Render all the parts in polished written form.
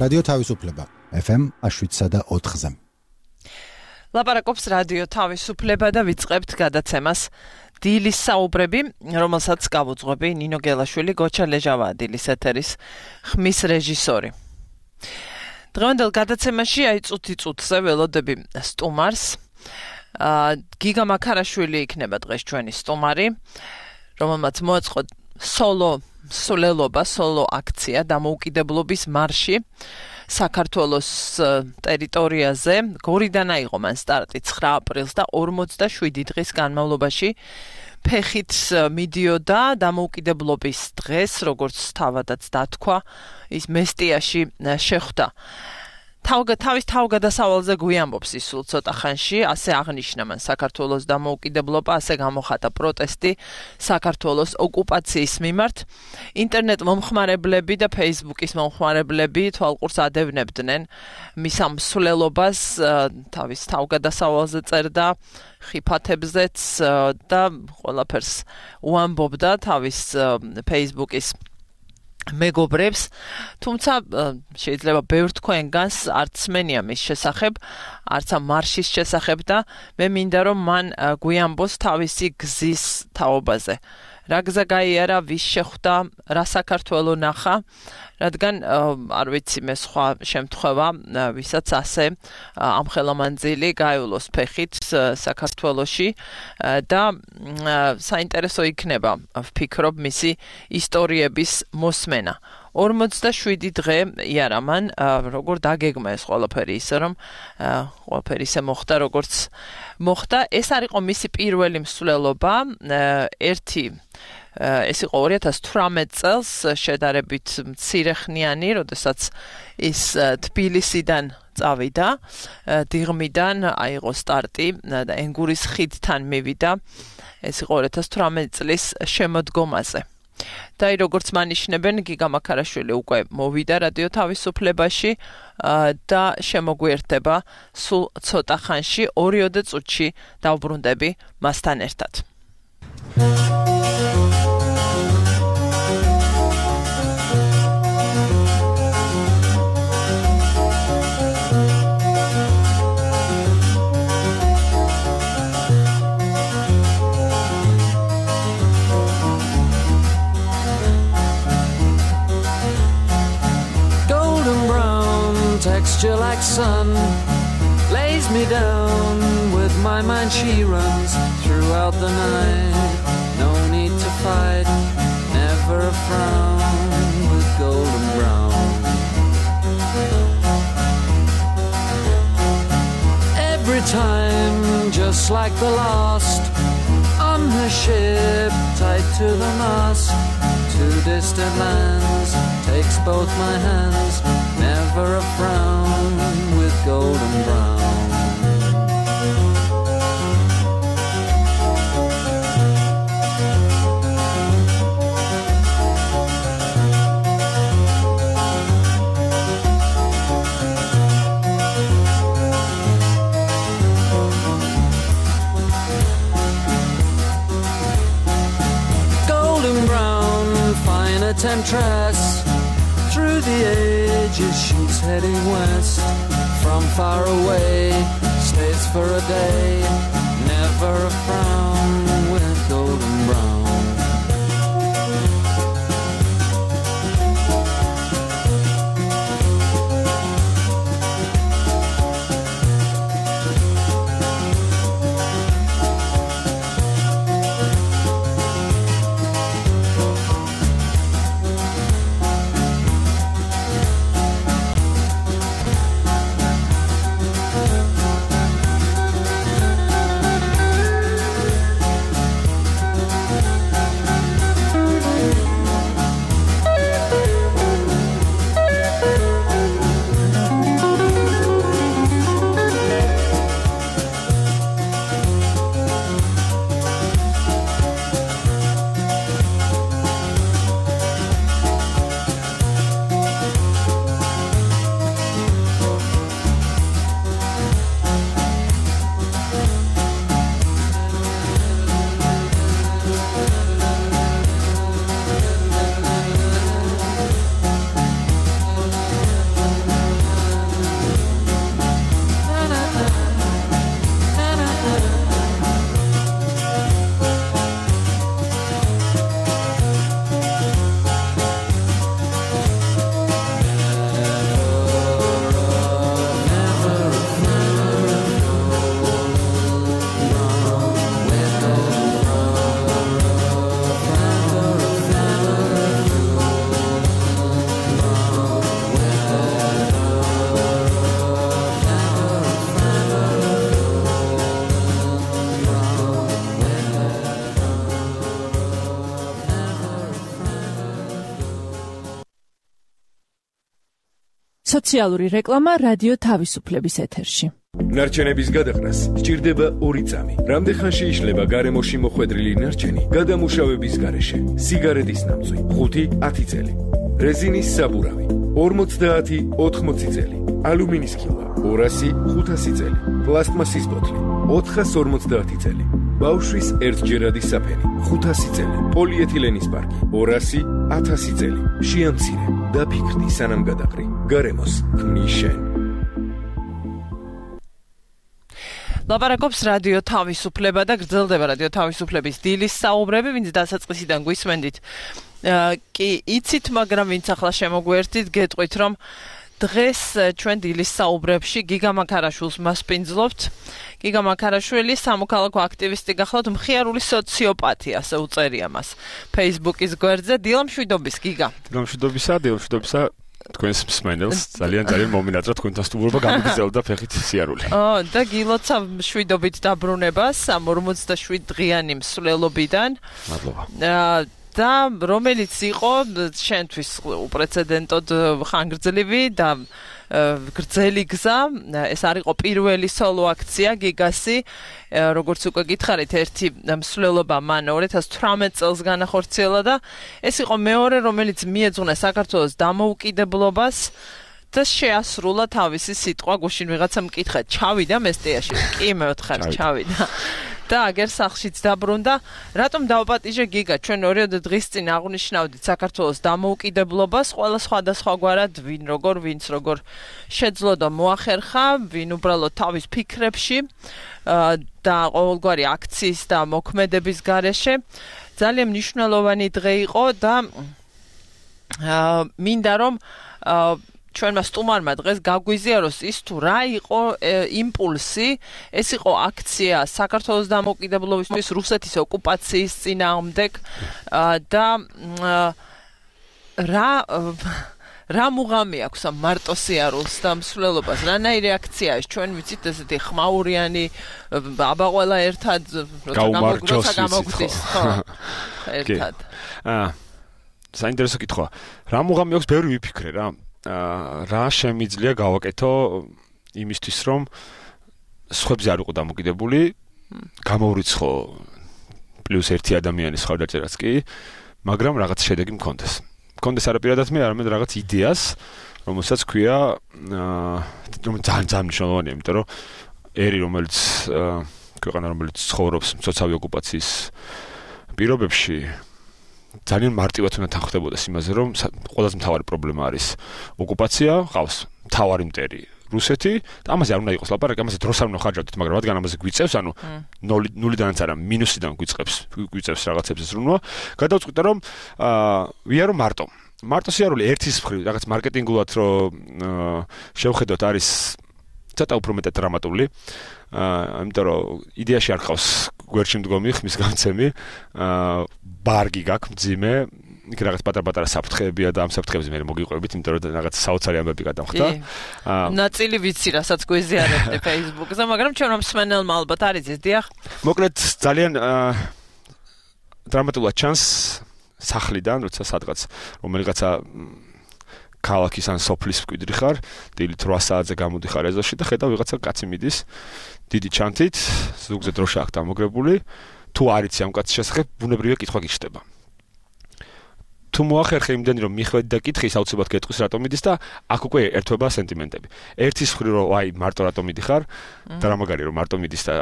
რადიო თავისუფლება FM 7.4-ზე. ლაპარაკობს რადიო თავისუფლება და ვიწყებთ გადაცემას დილის საუბრები, რომელსაც გავუძღვები ნინო გელაშვილი, გოჩა ლეჟავაა დილის ეთერის ხმის რეჟისორი. დღევანდელ გადაცემაში წუთი-წუთზე ველოდები სტუმარს. გიგა მაქარაშვილი იქნება დღეს ჩვენი სტუმარი, რომელმაც მოაწყო სოლო აქცია დამოუკიდებლობის მარში საქართველოს ტერიტორიაზე. გორიდან აიღო მან სტარტი 9 აპრილს და 47 დღის განმავლობაში ფეხით მიდიოდა დამოუკიდებლობის დღეს, როგორც თავადაც დათქვა, ის მესტიაში შეხვდა. თავის თავგადასავალზე გვიამბობს ის სულ ცოტა ხანში, ასე აღნიშნა მან საქართველოს დამოუკიდებლობა, ასე გამოხატა პროტესტი საქართველოს ოკუპაციის მიმართ. ინტერნეტ მომხმარებლები და Facebook-ის მომხმარებლები თვალყურს ადევნებდნენ მის ამ მსვლელობას, თავის თავგადასავალზე წერდა ხიფათებზეც და ყველაფერს უამბობდა თავის Facebook-ის მეგობრებს, თუმცა შეიძლება ბევრ თქვენგანს არც მენია მის შესახებ, არც ამ მარშის შესახებ და მე მინდა რომ მან გვიამბოს თავისი გზის თაობაზე. რა გზა გაიარა, ვის შეხვდა, რა საქართველო ნახა, რადგან არ ვიცი მე სხვა შემთხვევა, ვისაც ასე ამხელამანძილი გაივლოს ფეხით საქართველოში და საინტერესო იქნება, ვფიქრობ, მისი ისტორიების მოსმენა. 47 დღე იარა მან, როგორ დაგეგმა ეს ყველაფერი ისე, რომ ყველაფერი ისე მოხდა, როგორც მოხდა. ეს არ იყო მისი პირველი მსვლელობა, ეს იყო 2018 წელს შედარებით მცირეხნიანი, როდესაც ის თბილისიდან წავიდა, დიღმიდან აიღო სტარტი და ენგურის ხიდთან მივიდა. ეს იყო 2018 წლის შემოდგომაზე. და როგორც მანიშნებენ, გიგა მაქარაშვილი უკვე მოვიდა რადიო თავისუფლებაში და შემოგვიერთდება სულ ცოტა ხანში, 2 წუთში დავბრუნდები მასთან ერთად. Texture like sun lays me down. With my mind she runs throughout the night. No need to fight, never a frown. With golden brown, every time just like the last. On her ship tied to the mast, to distant lands takes both my hands. Never a frown with golden brown. Golden brown, fine a temptress. Through the ages she's heading west. From far away, stays for a day. Never a frown with golden brown. სოციალური რეკლამა რადიო თავისუფლების ეთერში. ნარჩენების გადაყრას სჭირდება 2 წამი. რამდენხანში იშლება გარემოში მოხვედრილი ნარჩენი გადამუშავების გარეშე? სიგარეტის ნამწვი 5-10 წელი. რეზინის საბურავი 50-80 წელი. ალუმინის ქილა 200-500 წელი. პლასტმასის ბოთლი 450 წელი. ბავშვის ერთჯერადი საფენი 500 წელი. პოლიეთილენის პარკი 200-1000 წელი. შეამცირე, დაფიქრდი სანამ გადაყრი. გარემოს ქმნის შენ. ლაპარაკობს რადიო თავისუფლება და გრძელდება რადიო თავისუფლების დილის საუბრები, ვინც დასაწყისიდან გვისმენდით. კი იცით, მაგრამ ვინც ახლა შემოგვერთით, გეტყვით, რომ დღეს ჩვენ დილის საუბრებში გიგა მაქარაშვილს მასპინძლობთ. გიგა მაქარაშვილი სამოქალაქო აქტივისტი გახლავთ, მხიარული სოციოპათი, ასე უწერია მას Facebook-ის გვერდზე. დილამშვიდობის გიგა. დილამშვიდობისა. თქვენს მსმენელს ძალიან მომინატრა თქვენთან სტუმრობა გამიგრძელდა ფეხით სიარული. და გილოცა მშვიდობით დაბრუნებას 47 დღიანი მსვლელობიდან. მადლობა. და რომელიც იყო შენთვის უპრეცედენტოდ ხანგრძლივი და გრძელი გზა, ეს არ იყო პირველი სოლო აქცია გიგასი, როგორც უკვე გითხარით, ერთი მსვლელობა მან 2018 წელს განახორციელა და ეს იყო მეორე, რომელიც მიეძღვნა საქართველოს დამოუკიდებლობას და შეასრულა თავისი სიტყვა. გუშინ ვიღაცა მკითხა, ჩავიდა მესტიაში? კი, მე ვთხარ, ჩავიდა. და აგერ სახლშიც დაბრუნდა. რატომ დავპატიჟე გიგა? ჩვენ 2 დღის წინ აღნიშნავდით საქართველოს დამოუკიდებლობას, ყველა სხვადასხვაგვარად, ვინც როგორ შეძლო და მოახერხა, ვინ უბრალოდ თავის ფიქრებში და ყოველგვარი აქციის და მოქმედების გარეშე. ძალიან მნიშვნელოვანი დღე იყო და მინდა რომ ჩვენმა სტუმარმა დღეს გაგვიზიაროს ის თუ რა იყო იმპულსი, ეს იყო აქცია საქართველოს დამოუკიდებლობისთვის რუსეთის ოკუპაციის წინააღმდეგ და რა მუღამი აქვს ამ მარტოსიარულს და მსვლელობას, რანაირი აქცია ეს? ჩვენ ვიცით ესეთი ხმაურიანი აბა ყველა ერთად როცა გამოგდის, ხო? ერთად. საინტერესო კითხვა. რა მუღამი აქვს, ბევრი ვიფიქრე რა. რა შემიძლია გავაკეთო იმისთვის, რომ სხვებზე არ იყო დამოკიდებული, გამოვრიცხო +1 ადამიანის ხარდაჭერაც კი, მაგრამ რაღაც შედეგი მქონდეს. მქონდეს არაპირადად მე, არამედ რაღაც იდეას, რომელსაც ქვია, ძალიან მნიშვნელოვანია, იმიტომ რომ ერი, რომელიც ქვეყანა, რომელიც ცხოვრობს მცოცავი ოკუპაციის პირობებში, ძალიან მარტივად უნდა თანხმდებოდეს იმაზე, რომ ყველაზე მთავარი პრობლემა არის ოკუპაცია, ყავს მთავარი მტერი რუსეთი და ამაზე არ უნდა იყოს ლაპარაკი, ამაზე დროს არ უნდა ხარჯავდეთ, მაგრამ რადგან ამაზე გვიწევს, ანუ ნულიდანაც არა, მინუსიდან გვიწევს რაღაცებს ზრუნვა, გადავწყვიტე რომ ვიარო მარტო სიარული ერთის მხრივ რაღაც მარკეტინგულად რომ შევხედოთ არის ცოტა უფრო მეტად დრამატული, იმიტომ რომ იდეაში არ ყავს გვერდში მდგომი ხმის გამცემი, ბარგი გაქვს მძიმე, იქ რაღაც პატარ-პატარა საფრთხეებია და ამ საფრთხეებზე მე მოგიყვებით, იმიტომ რომ რაღაც საოცარი ამბები გადამხდა. ნაწილი ვიცი, რასაც გვეზიარებდი Facebook-ზე, მაგრამ ჩვენ მსმენელმა ალბათ არ იცის, დიახ. მოკლედ ძალიან დრამატულად ჩანს სახლიდან, როცა სადღაც რომელიღაცა ქალაქის ან სოფლის მკვიდრი ხარ, დილით 8 საათზე გამოდიხარ ეზოში და ხედავ ვიღაცა კაცი მიდის დიდი ჩანთით, ზუგზე დროშა აქვს დამოგრებული, თუ არ იცი ამ კაცის შესახებ, ბუნებრივია კითხვა გიჩნდება. თუ მოახერხე იმდენი რომ მიხვედი და კითხი, საუცებად გეტყვის რატომ მიდის და აქ უკვე ერთვება სენტიმენტები. ერთის მხრივ რომ აი მარტო რატომ მიდიხარ და რა მაგარი რომ მარტო მიდის და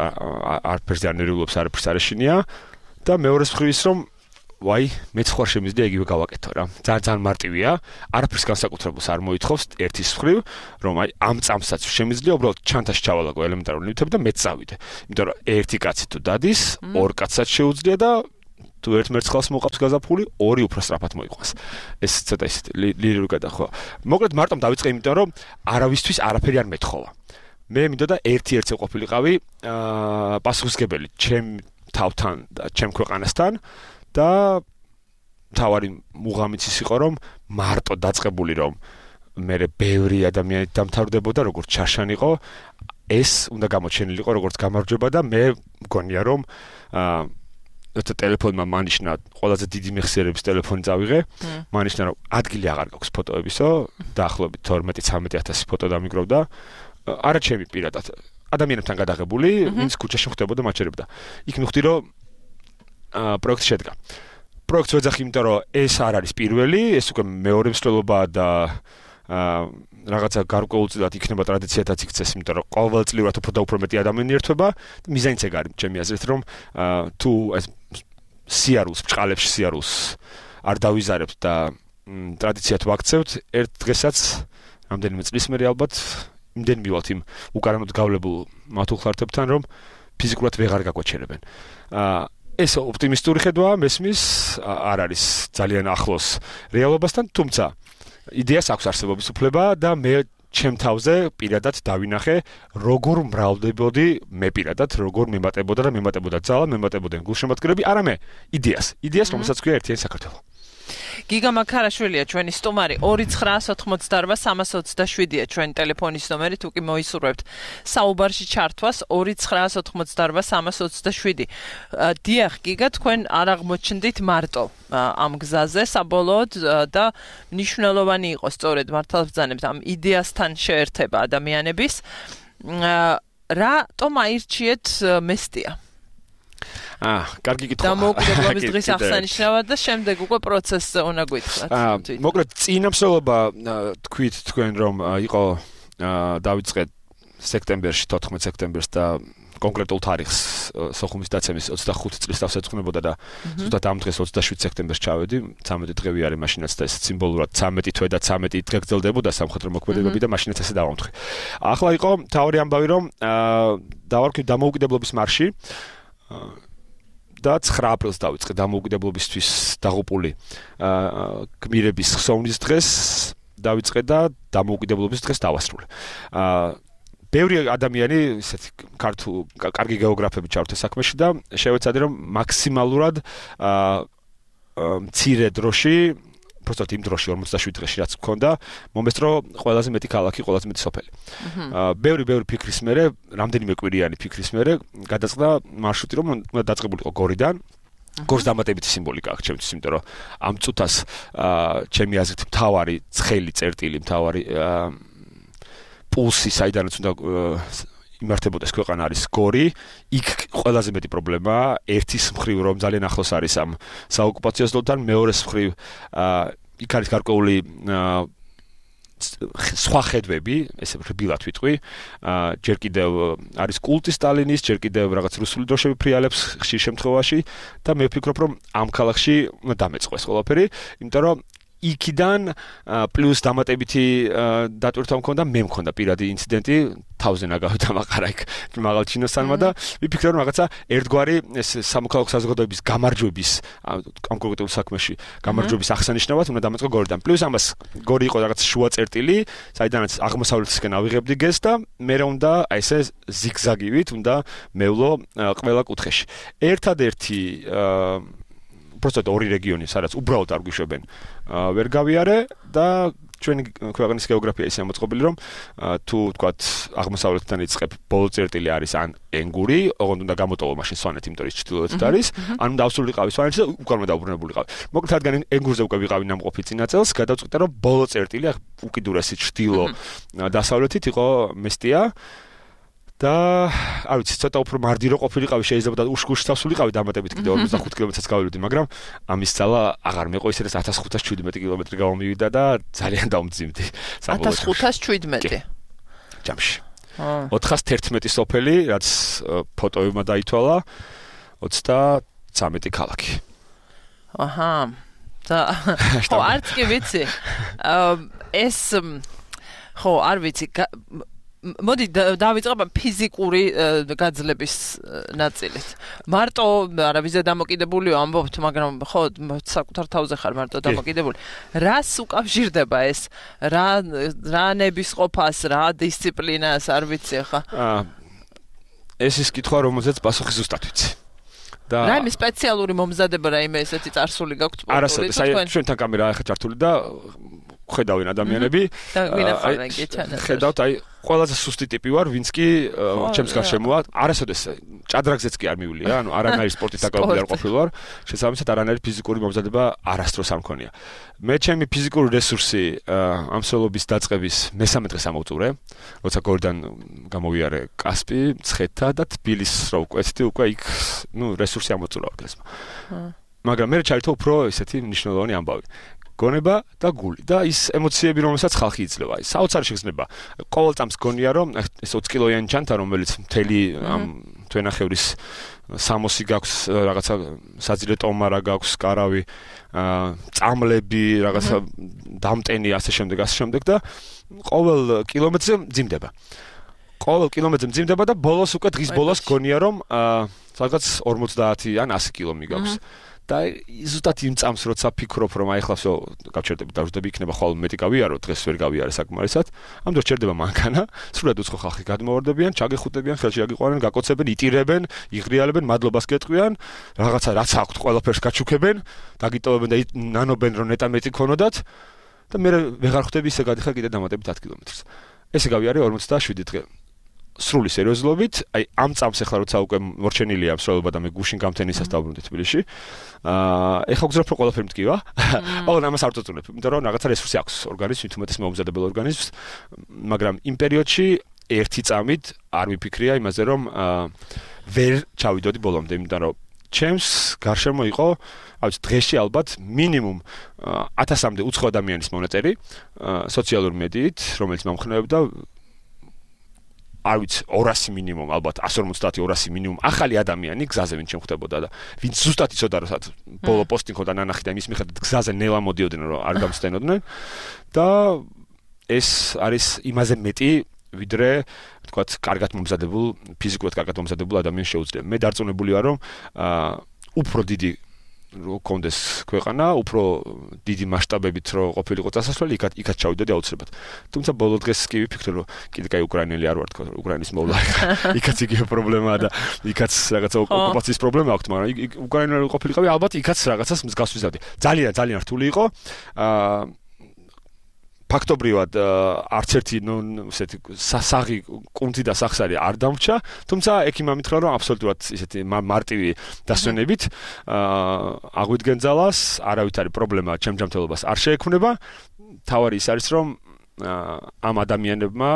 არაფერზე არ ნერვიულობს, არაფერს არ ეშინია და მეორეს მხრივ ის რომ ვაი, მეც ხარ შემიძლია იგივე გავაკეთო რა. ძალიან მარტივია, არაფერს განსაკუთრებულს არ მოითხოვს ერთის მხრივ, რომ აი ამ წამსაც შემიძლია უბრალოდ ჩანთაში ჩავალაგო ელემენტარული ნივთები და მეც წავიდე. იმიტომ რომ ერთი კაცი თუ დადის, ორ კაცსაც შეუძლია და თუ ერთ მერცხალს მოყავს გაზაფხული, ორი უფრო სწრაფად მოიყვანს. ეს ცოტა ისეთ ლირიკული გადახვა. მოკლედ მარტომ დავიწყე, იმიტომ რომ არავისთვის არაფერი არ მეთხოვა. მე მინდოდა ერთ-ერთზე ყოფილიყავი პასუხისგებელი ჩემ თავთან და ჩემ ქვეყანასთან და თავარი მუღამიც ის იყო რომ მარტო დაწყებული რომ მე ბევრი ადამიანი დამთავრდებოდა როგორც ჩარშანიყო ეს უნდა გამოჩენილიყო როგორც გამარჯვება და მე მგონია რომ როცა ტელეფონმა მანიშნა ყველაზე დიდი მეხსიერების ტელეფონი წავიღე, მანიშნა რომ ადგილი აღარ გაქვს ფოტოებისო, დაახლოებით 12-13 ფოტო დამიგროვდა. არა ჩემი პირადად ადამიანებთან გადაღებული, ვინც ქუჩაში ხვდებოდა მაჩერებდა. იქ მივხვდი რომ პროექტი შედგა. პროექტს ვეძახი, იმიტომ რომ ეს არ არის პირველი, ეს უკვე მეორე მსვლელობაა და რაღაცა გარკვეულწილად იქნება ტრადიციათაც იქცეს, იმიტომ რომ ყოველწლიურად უფრო და უფრო მეტი ადამიანი ერთვება. მიზანიც ეგ არის ჩემი აზრით, რომ თუ ეს სიარულს, ბჭყალებში სიარულს არ დავიზარებთ და ტრადიციად ვაქცევთ, ერთ დღესაც რამდენიმე წლის მერე ალბათ იმდენ მივალთ იმ უკანონოდ გავლებულ მათუხლართებთან, რომ ფიზიკურად ვეღარ გაგვაჩერებენ. ეს ოპტიმისტური ხედვაა, მესმის, არ არის ძალიან ახლოს რეალობასთან, თუმცა იდეას აქვს არსებობის უფლება და მე ჩემ თავზე პირადად დავინახე, როგორ მრავლდებოდი მე პირადად, როგორ მემატებოდა და მემატებოდა ძალა, მემატებოდნენ გულშემატკივრები, არა მე, იდეას, რომელსაც ქვია ერთიანი საქართველო. გიგა მაქარაშვილია ჩვენი სტუმარი 2988327-ია ჩვენი ტელეფონის ნომერი, თუ კი მოისურვებთ საუბარში ჩართვას 2988327. დიახ, გიგა, თქვენ არ აღმოჩნდით მარტო ამ გზაზე საბოლოოდ და მნიშვნელოვანი იყო სწორედ მართლბრძანებთ ამ იდეასთან შეერთება ადამიანების. რატომ აირჩიეთ მესტია? კარგი კითხვა. დამოუკიდებლობის დღის აღსანიშნავად და შემდეგ უკვე პროცესზე უნდა გითხრათ. მოკლედ წინამსვლელობა თქვით თქვენ რომ იყო დავიწყეთ სექტემბერში 14 სექტემბერს და კონკრეტულ თარიღს სოხუმის დაცემის 25 წლის თავს ეძღვნებოდა და ზუსტად ამ დღეს 27 სექტემბერს ჩავედი. 13 დღე არის მაშინაც და ეს სიმბოლურად 13 თვე და 13 დღე გრძელდებოდა სამხედრო მოქმედებები და მაშინაც ესე დავამთხე. ახლა იყო თავი ამბავი რომ დავარქვი დამოუკიდებლობის მარში და 9 აპრილს დავიწყე დამოუკიდებლობისთვის დაღუპული გმირების ხსოვნის დღეს დავიწყე და დამოუკიდებლობის დღეს დავასრულე. ბევრი ადამიანი, ისეთი კარგი გეოგრაფები ჩავთე საქმეში და შევეცადე რომ მაქსიმალურად მცირე დროში, უბრალოდ იმ დროში 47 დღეში რაც მქონდა, მომესწრო ყველაზე მეტი ქალაქი, ყველაზე მეტი სოფელი. ბევრი ფიქრის მერე, რამდენიმე კვირიანი ფიქრის მერე გადაწყდა მარშრუტი, რომ უნდა დაწყებულიყო გორიდან. გორს დამატებითი სიმბოლიკა აქვს ჩემთვის, იმიტომ რომ ამ წუთას ჩემი აზრით მთავარი ცხელი წერტილი, მთავარი პულსი, საიდანაც უნდა იმართებოდეს ქვეყანა არის გორი. იქ ყველაზე მეტი პრობლემაა, ერთის მხრივ რომ ძალიან ახლოს არის ამ საოკუპაციო ზოლთან, მეორეს მხრივ იქ არის გარკვეული სხვა ხედვები, ესე რბილად ვიტყვი. ჯერ კიდევ არის კულტი სტალინის, ჯერ კიდევ რაღაც რუსული დროშები ფრიალებს ხშირ შემთხვევაში და მე ვფიქრობ რომ ამ ქალაქში უნდა დამეწყოს ყველაფერი, იმიტომ რომ იქიდან პლუს დამატებითი დატვირთვა მქონდა, მე მქონდა პირადი ინციდენტი, თავზე ნაგავი დამაყარა იქ მაღალ ჩინოსანმა და ვიფიქრე რომ რაღაცა ერთგვარი ეს სამოქალაქო საზოგადოების გამარჯვების ამ კონკრეტულ საქმეში გამარჯვების აღსანიშნავად უნდა დამეწყო გორიდან. პლუს ამას გორი იყო რაღაც შუა წერტილი, საიდანაც აღმოსავლეთისკენ ავიღებდი გეს და მე უნდა ესე ზიგზაგივით უნდა მევლო ყველა კუთხეში. ერთადერთი просто ორი რეგიონი, სადაც უბრალოდ არ გვიშვებენ, ვერ გავიარე და ჩვენი ქვეყნის გეოგრაფია ისე მოწყობილი, რომ თუ თქვათ აღმოსავლეთიდან იწყებ, ბოლო წერტილი არის ან ენგური, ოღონდ უნდა გამოტოვო მაშინ სვანეთი, იმიტომ ის ჩრდილოეთით არის, ან უნდა ავსრულიყავი სვანეთში და უკან უნდა დაუბრუნებულიყავი. მოკლედ რადგან ენგურზე უკვე ვიყავი ნამყოფი წინა წელს, გადავწყვიტე რომ ბოლო წერტილი, უკიდურესი ჩრდილო დასავლეთით იყო მესტია. და არ ვიცი, ცოტა უფრო მარდირო ყოფილიყავი, შეიძლება და უშქუშ თავსულიყავი დამატებით კიდე 45 კილომეტრს გავივიდი, მაგრამ ამის ძალა აღარ მეყო, ისედაც 1517 კილომეტრი გამომივიდა და ძალიან დავმძიმდი. 1517 ჯამში. 411 სოფელი, რაც ფოტოებმა დაითვალა, 33 ქალაქი. აჰა. და ხო, არც კი ვიცი. ეს ხო, არ ვიცი. მოდი დავიწყებ ფიზიკური გაძლების ნაწილით. მარტო არა ვიზე დამოკიდებულიო ამბობთ, მაგრამ ხო საკუთარ თავზე ხარ მარტო დამოკიდებული. რას უკავშირდება ეს? რა ნებისყოფას, რა დისციპლინას, არ ვიცი ხა. ეს ის კითხვა, რომელზეც პასუხი ზუსტად ვიცი. და რაიმე სპეციალური მომზადება, რაიმე ესეთი წარსული გაქვთ? არა, ჩვენთან კამერა ახლა ჩართული და ხედავენ ადამიანები და ვინახავენ კი ჩანაწერი. ხედავთ აი ყველაზე სუსტი ტიპი ვარ, ვინც კი ჩემს გარშემოა, არასოდეს ჭადრაგზეც კი არ მივულია, ანუ არანაირი სპორტით დაკავებული არ ყოფილი ვარ, შესაბამისად არანაირი ფიზიკური მომზადება არასდროს არ მქონია. მე ჩემი ფიზიკური რესურსი ამ სოლობის დაწყების მესამე დღეს ამოვწურე, როცა გორიდან გამოვიარე კასპი, ცხეთა და თბილის რო ვკვეთდი, უკვე იქ, რესურსი ამოვწურავ დღესმა. მაგრამ მე ჩაირთო უფრო ესეთი მნიშვნელოვანი ამბავი. გონება და გული და ის ემოციები, რომელსაც ხალხი იძლევა. აი, საოცარი შეგრძნება. ყოველ წამს გონია, რომ ეს 20 კილოიანი ჩანთა, რომელიც მთელი ამ თვენახევრის 60 გაქვს, რაღაცა საძილე ტომარა გაქვს, კარავი, წამლები, რაღაცა დამტენი, ასე შემდეგ და ყოველ კილომეტრზე მძიმდება. და ბოლოს უკვე დღის ბოლოს გონია, რომ რაღაც 50 ან 100 კილო მიგაქვს. და ზუსტად იმ წამს როცა ფიქრობ რომ აი ახლა всё გავჩერდები დავждები იქნება ხვალ მეტი გავიარო დღეს ვერ გავიარე საკმარისად ამ დროს ჩერდება მანქანა სრულად უცხო ხალხი გადმოვარდებიან ჩაგეხუტებიან ხელში აგიყვანენ გაკოცებენ იტირებენ იღრიალებენ მადლობას გეტყვიან რაღაცა რაც აქვთ ყველაფერს გაჩუქებენ დაგიტოვებენ და ნანობენ რომ ნეტა მეტი ქონოდათ და მე ვეღარ ხვდები ისე გადიხარ კიდე დამატებით 10 კილომეტრს ესე გავიარე 47 დღე სრული სერიოზულობით, აი ამ წამს ახლა როცა უკვე მორჩენილია მსვლელობა და მე გუშინ გამთენისას დავბრუნდი თბილისში. ეხლა გძრავ რომ ყველაფერი მткиვა. მაგრამ ამას არ წაწუნებ, იმიტომ რომ რაღაცა რესურსი აქვს ორგანიზმს, თუმცა მოუმზადებელ ორგანიზმს, მაგრამ იმ პერიოდში ერთი წამით არ მიფიქრია იმაზე, რომ ვერ ჩავიდოდი ბოლომდე, იმიტომ რომ ჩემს გარშემო იყო, აი დღეში ალბათ მინიმუმ 1000-მდე უცხო ადამიანის მონაწერი სოციალურ მედიით, რომელიც მომხნევებდა არ ვიცი 200 მინიმუმ ალბათ 150-200 მინიმუმ ახალი ადამიანი გზაზე ვინც შემხვდებოდა და ვინც ზუსტად იცოდა რომ ბოლო პოსტი ხოდა ნანახი და იმის მიხედვით გზაზე ნელა მოდიოდნენ რომ არ გამსცენოდნენ და ეს არის იმაზე მეტი ვიდრე თქვათ კარგად მომზადებულ ფიზიკურად კარგად მომზადებულ ადამიანს შეუძლია მე დარწმუნებული ვარ რომ უფრო დიდი რო კონდეს ქვეყანა, უფრო დიდი მასშტაბებით რო ყოფილიყო წასასვლელი, იქაც ჩავიდოდი აუცილებლად. თუმცა ბოლო დღეს კი ვიფიქრე, რომ კიდე კაი უკრაინელი არ ვარ თქო, უკრაინის მოვლა. იქაც იგივე პრობლემაა და იქაც რაღაცა ოკუპაციის პრობლემა აქვს, მაგრამ უკრაინელი ყოფილიყავი, ალბათ იქაც რაღაცას მსგავს ვიზავდი. ძალიან რთული იყო. ფაქტობრივად არც ერთი ესეთი სასაღი კუნთი და სახსარი არ დამრჩა, თუმცა ექიმ ამითხრა რომ აბსოლუტურად ესეთი მარტივი დასვენებით აღვიდგენ ძალას, არავით არის პრობლემა ჩემ ჯანმრთელობას არ შეექმნება. თავარი ის არის რომ ამ ადამიანებმა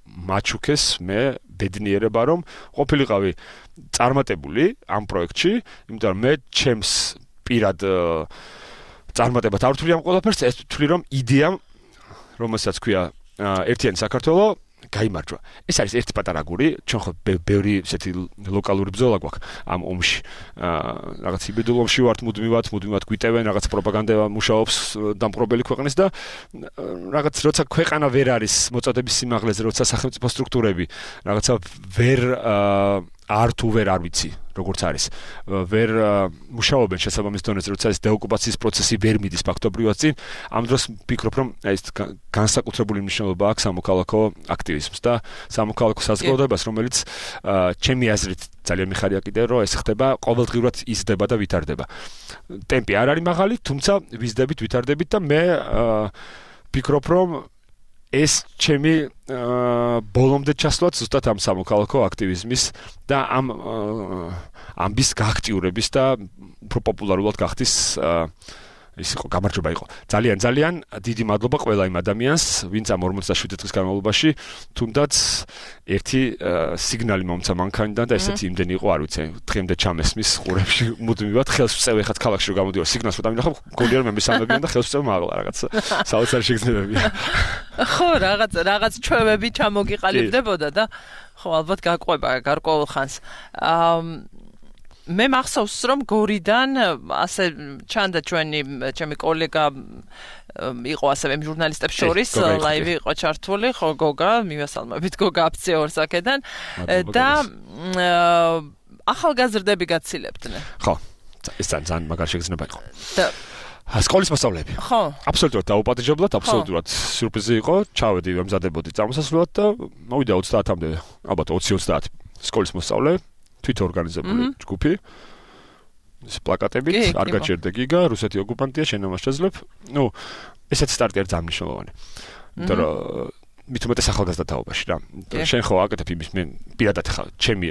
მაჩუქეს მე ბედნიერება რომ ყოფილიყავი წარმატებული ამ პროექტში, იმიტომ რომ მე ჩემს პირად წარმატებად არ ვთვლი ამ ყველაფერს, ეს ვთვლი რომ იდეამ, რომელსაც ქვია ერთიანი საქართველო, გაიმარჯვა. ეს არის ერთი პატარა გური, ჩვენ ხო ბევრი ესეთი ლოკალური ბრძოლა გვაქვს ამ ომში. რაღაც იბედულ ომში ვართ, მუდმივად გვიტევენ, რაღაც პროპაგანდა მუშაობს დამპყრობელი ქვეყნის და რაღაც როცა ქვეყანა ვერ არის მოწოდების სიმაღლეზე, როცა სახელმწიფო სტრუქტურები რაღაცა ვერ არ ვიცი როგორც არის ვერ მუშაობენ შესაბამის დონეზე როცა ეს დეოკუპაციის პროცესი ვერ მიდის ფაქტობრივად წინ ამ დროს ვფიქრობ რომ ეს განსაკუთრებული მნიშვნელობა აქვს სამოქალაქო აქტივიზმს და სამოქალაქო საზოგადოებას რომელიც ჩემი აზრით ძალიან მიხარია კიდე რომ ეს ხდება ყოველდღიურად იზრდება და ვითარდება ტემპი არ არის მაღალი თუმცა ვიზრდებით ვითარდებით და მე ვფიქრობ რომ ეს ჩემი ბოლომდე ჩასვლაც ზუსტად ამ სამოქალაქო აქტივიზმის და ამ ამბის გააქტიურების და უფრო პოპულარულად გახდის ის იყო გამარჯვება იყო ძალიან დიდი მადლობა ყველა იმ ადამიანს ვინც ამ 47 დღის განმავლობაში თუნდაც ერთი სიგნალი მომცა მანქანიდან და ესეთი იმდენი იყო არ ვიცი დღემდე ჩამესმის ყურებში მუდმივად ხელს ვწევ ეხაც ქალაქში რომ გამოდიოდი სიგნალს რომ დამინახავ გონია რომ მე მისამებიან და ხელს ვწევ მაღლა რაღაც საოცარი შეგრძნებებია ხო რაღაც ჩვევები ჩამოგიყალიბდებოდა და ხო ალბათ გაყვება გარკვეულ ხანს მე მახსოვს რომ გორიდან ასე ჩანდა ჩემი კოლეგა იყო ასევე ჟურნალისტებს შორის ლაივი იყო ჩართული ხო გოგა მივესალმებით გოგა აფციორს აქედან და ახალგაზრდები გაცილებდნენ ხო ეს ძალიან მაგარი შეგრძნება იყო და სკოლის მასწავლებლები ხო აბსოლუტურად დაუპატიჟებლად აბსოლუტურად სიურპრიზი იყო ჩავედი ვემზადებოდი წამოსასვლელად და მოვიდა 30-მდე ალბათ 20-30 სკოლის მოსწავლე თვით ორგანიზებული ჯგუფი პლაკატებით, არ გაჭირდა გიგა, რუსეთი ოკუპანტია, შენ ამას შეძლებ. ესეც სტარტი არის ძალიან მნიშვნელოვანი. იმიტომ რომ მით უმეტეს ახალგაზრდა თაობაში რა. შენ ხო აკეთებ იმის მე პირადად ხა ჩემი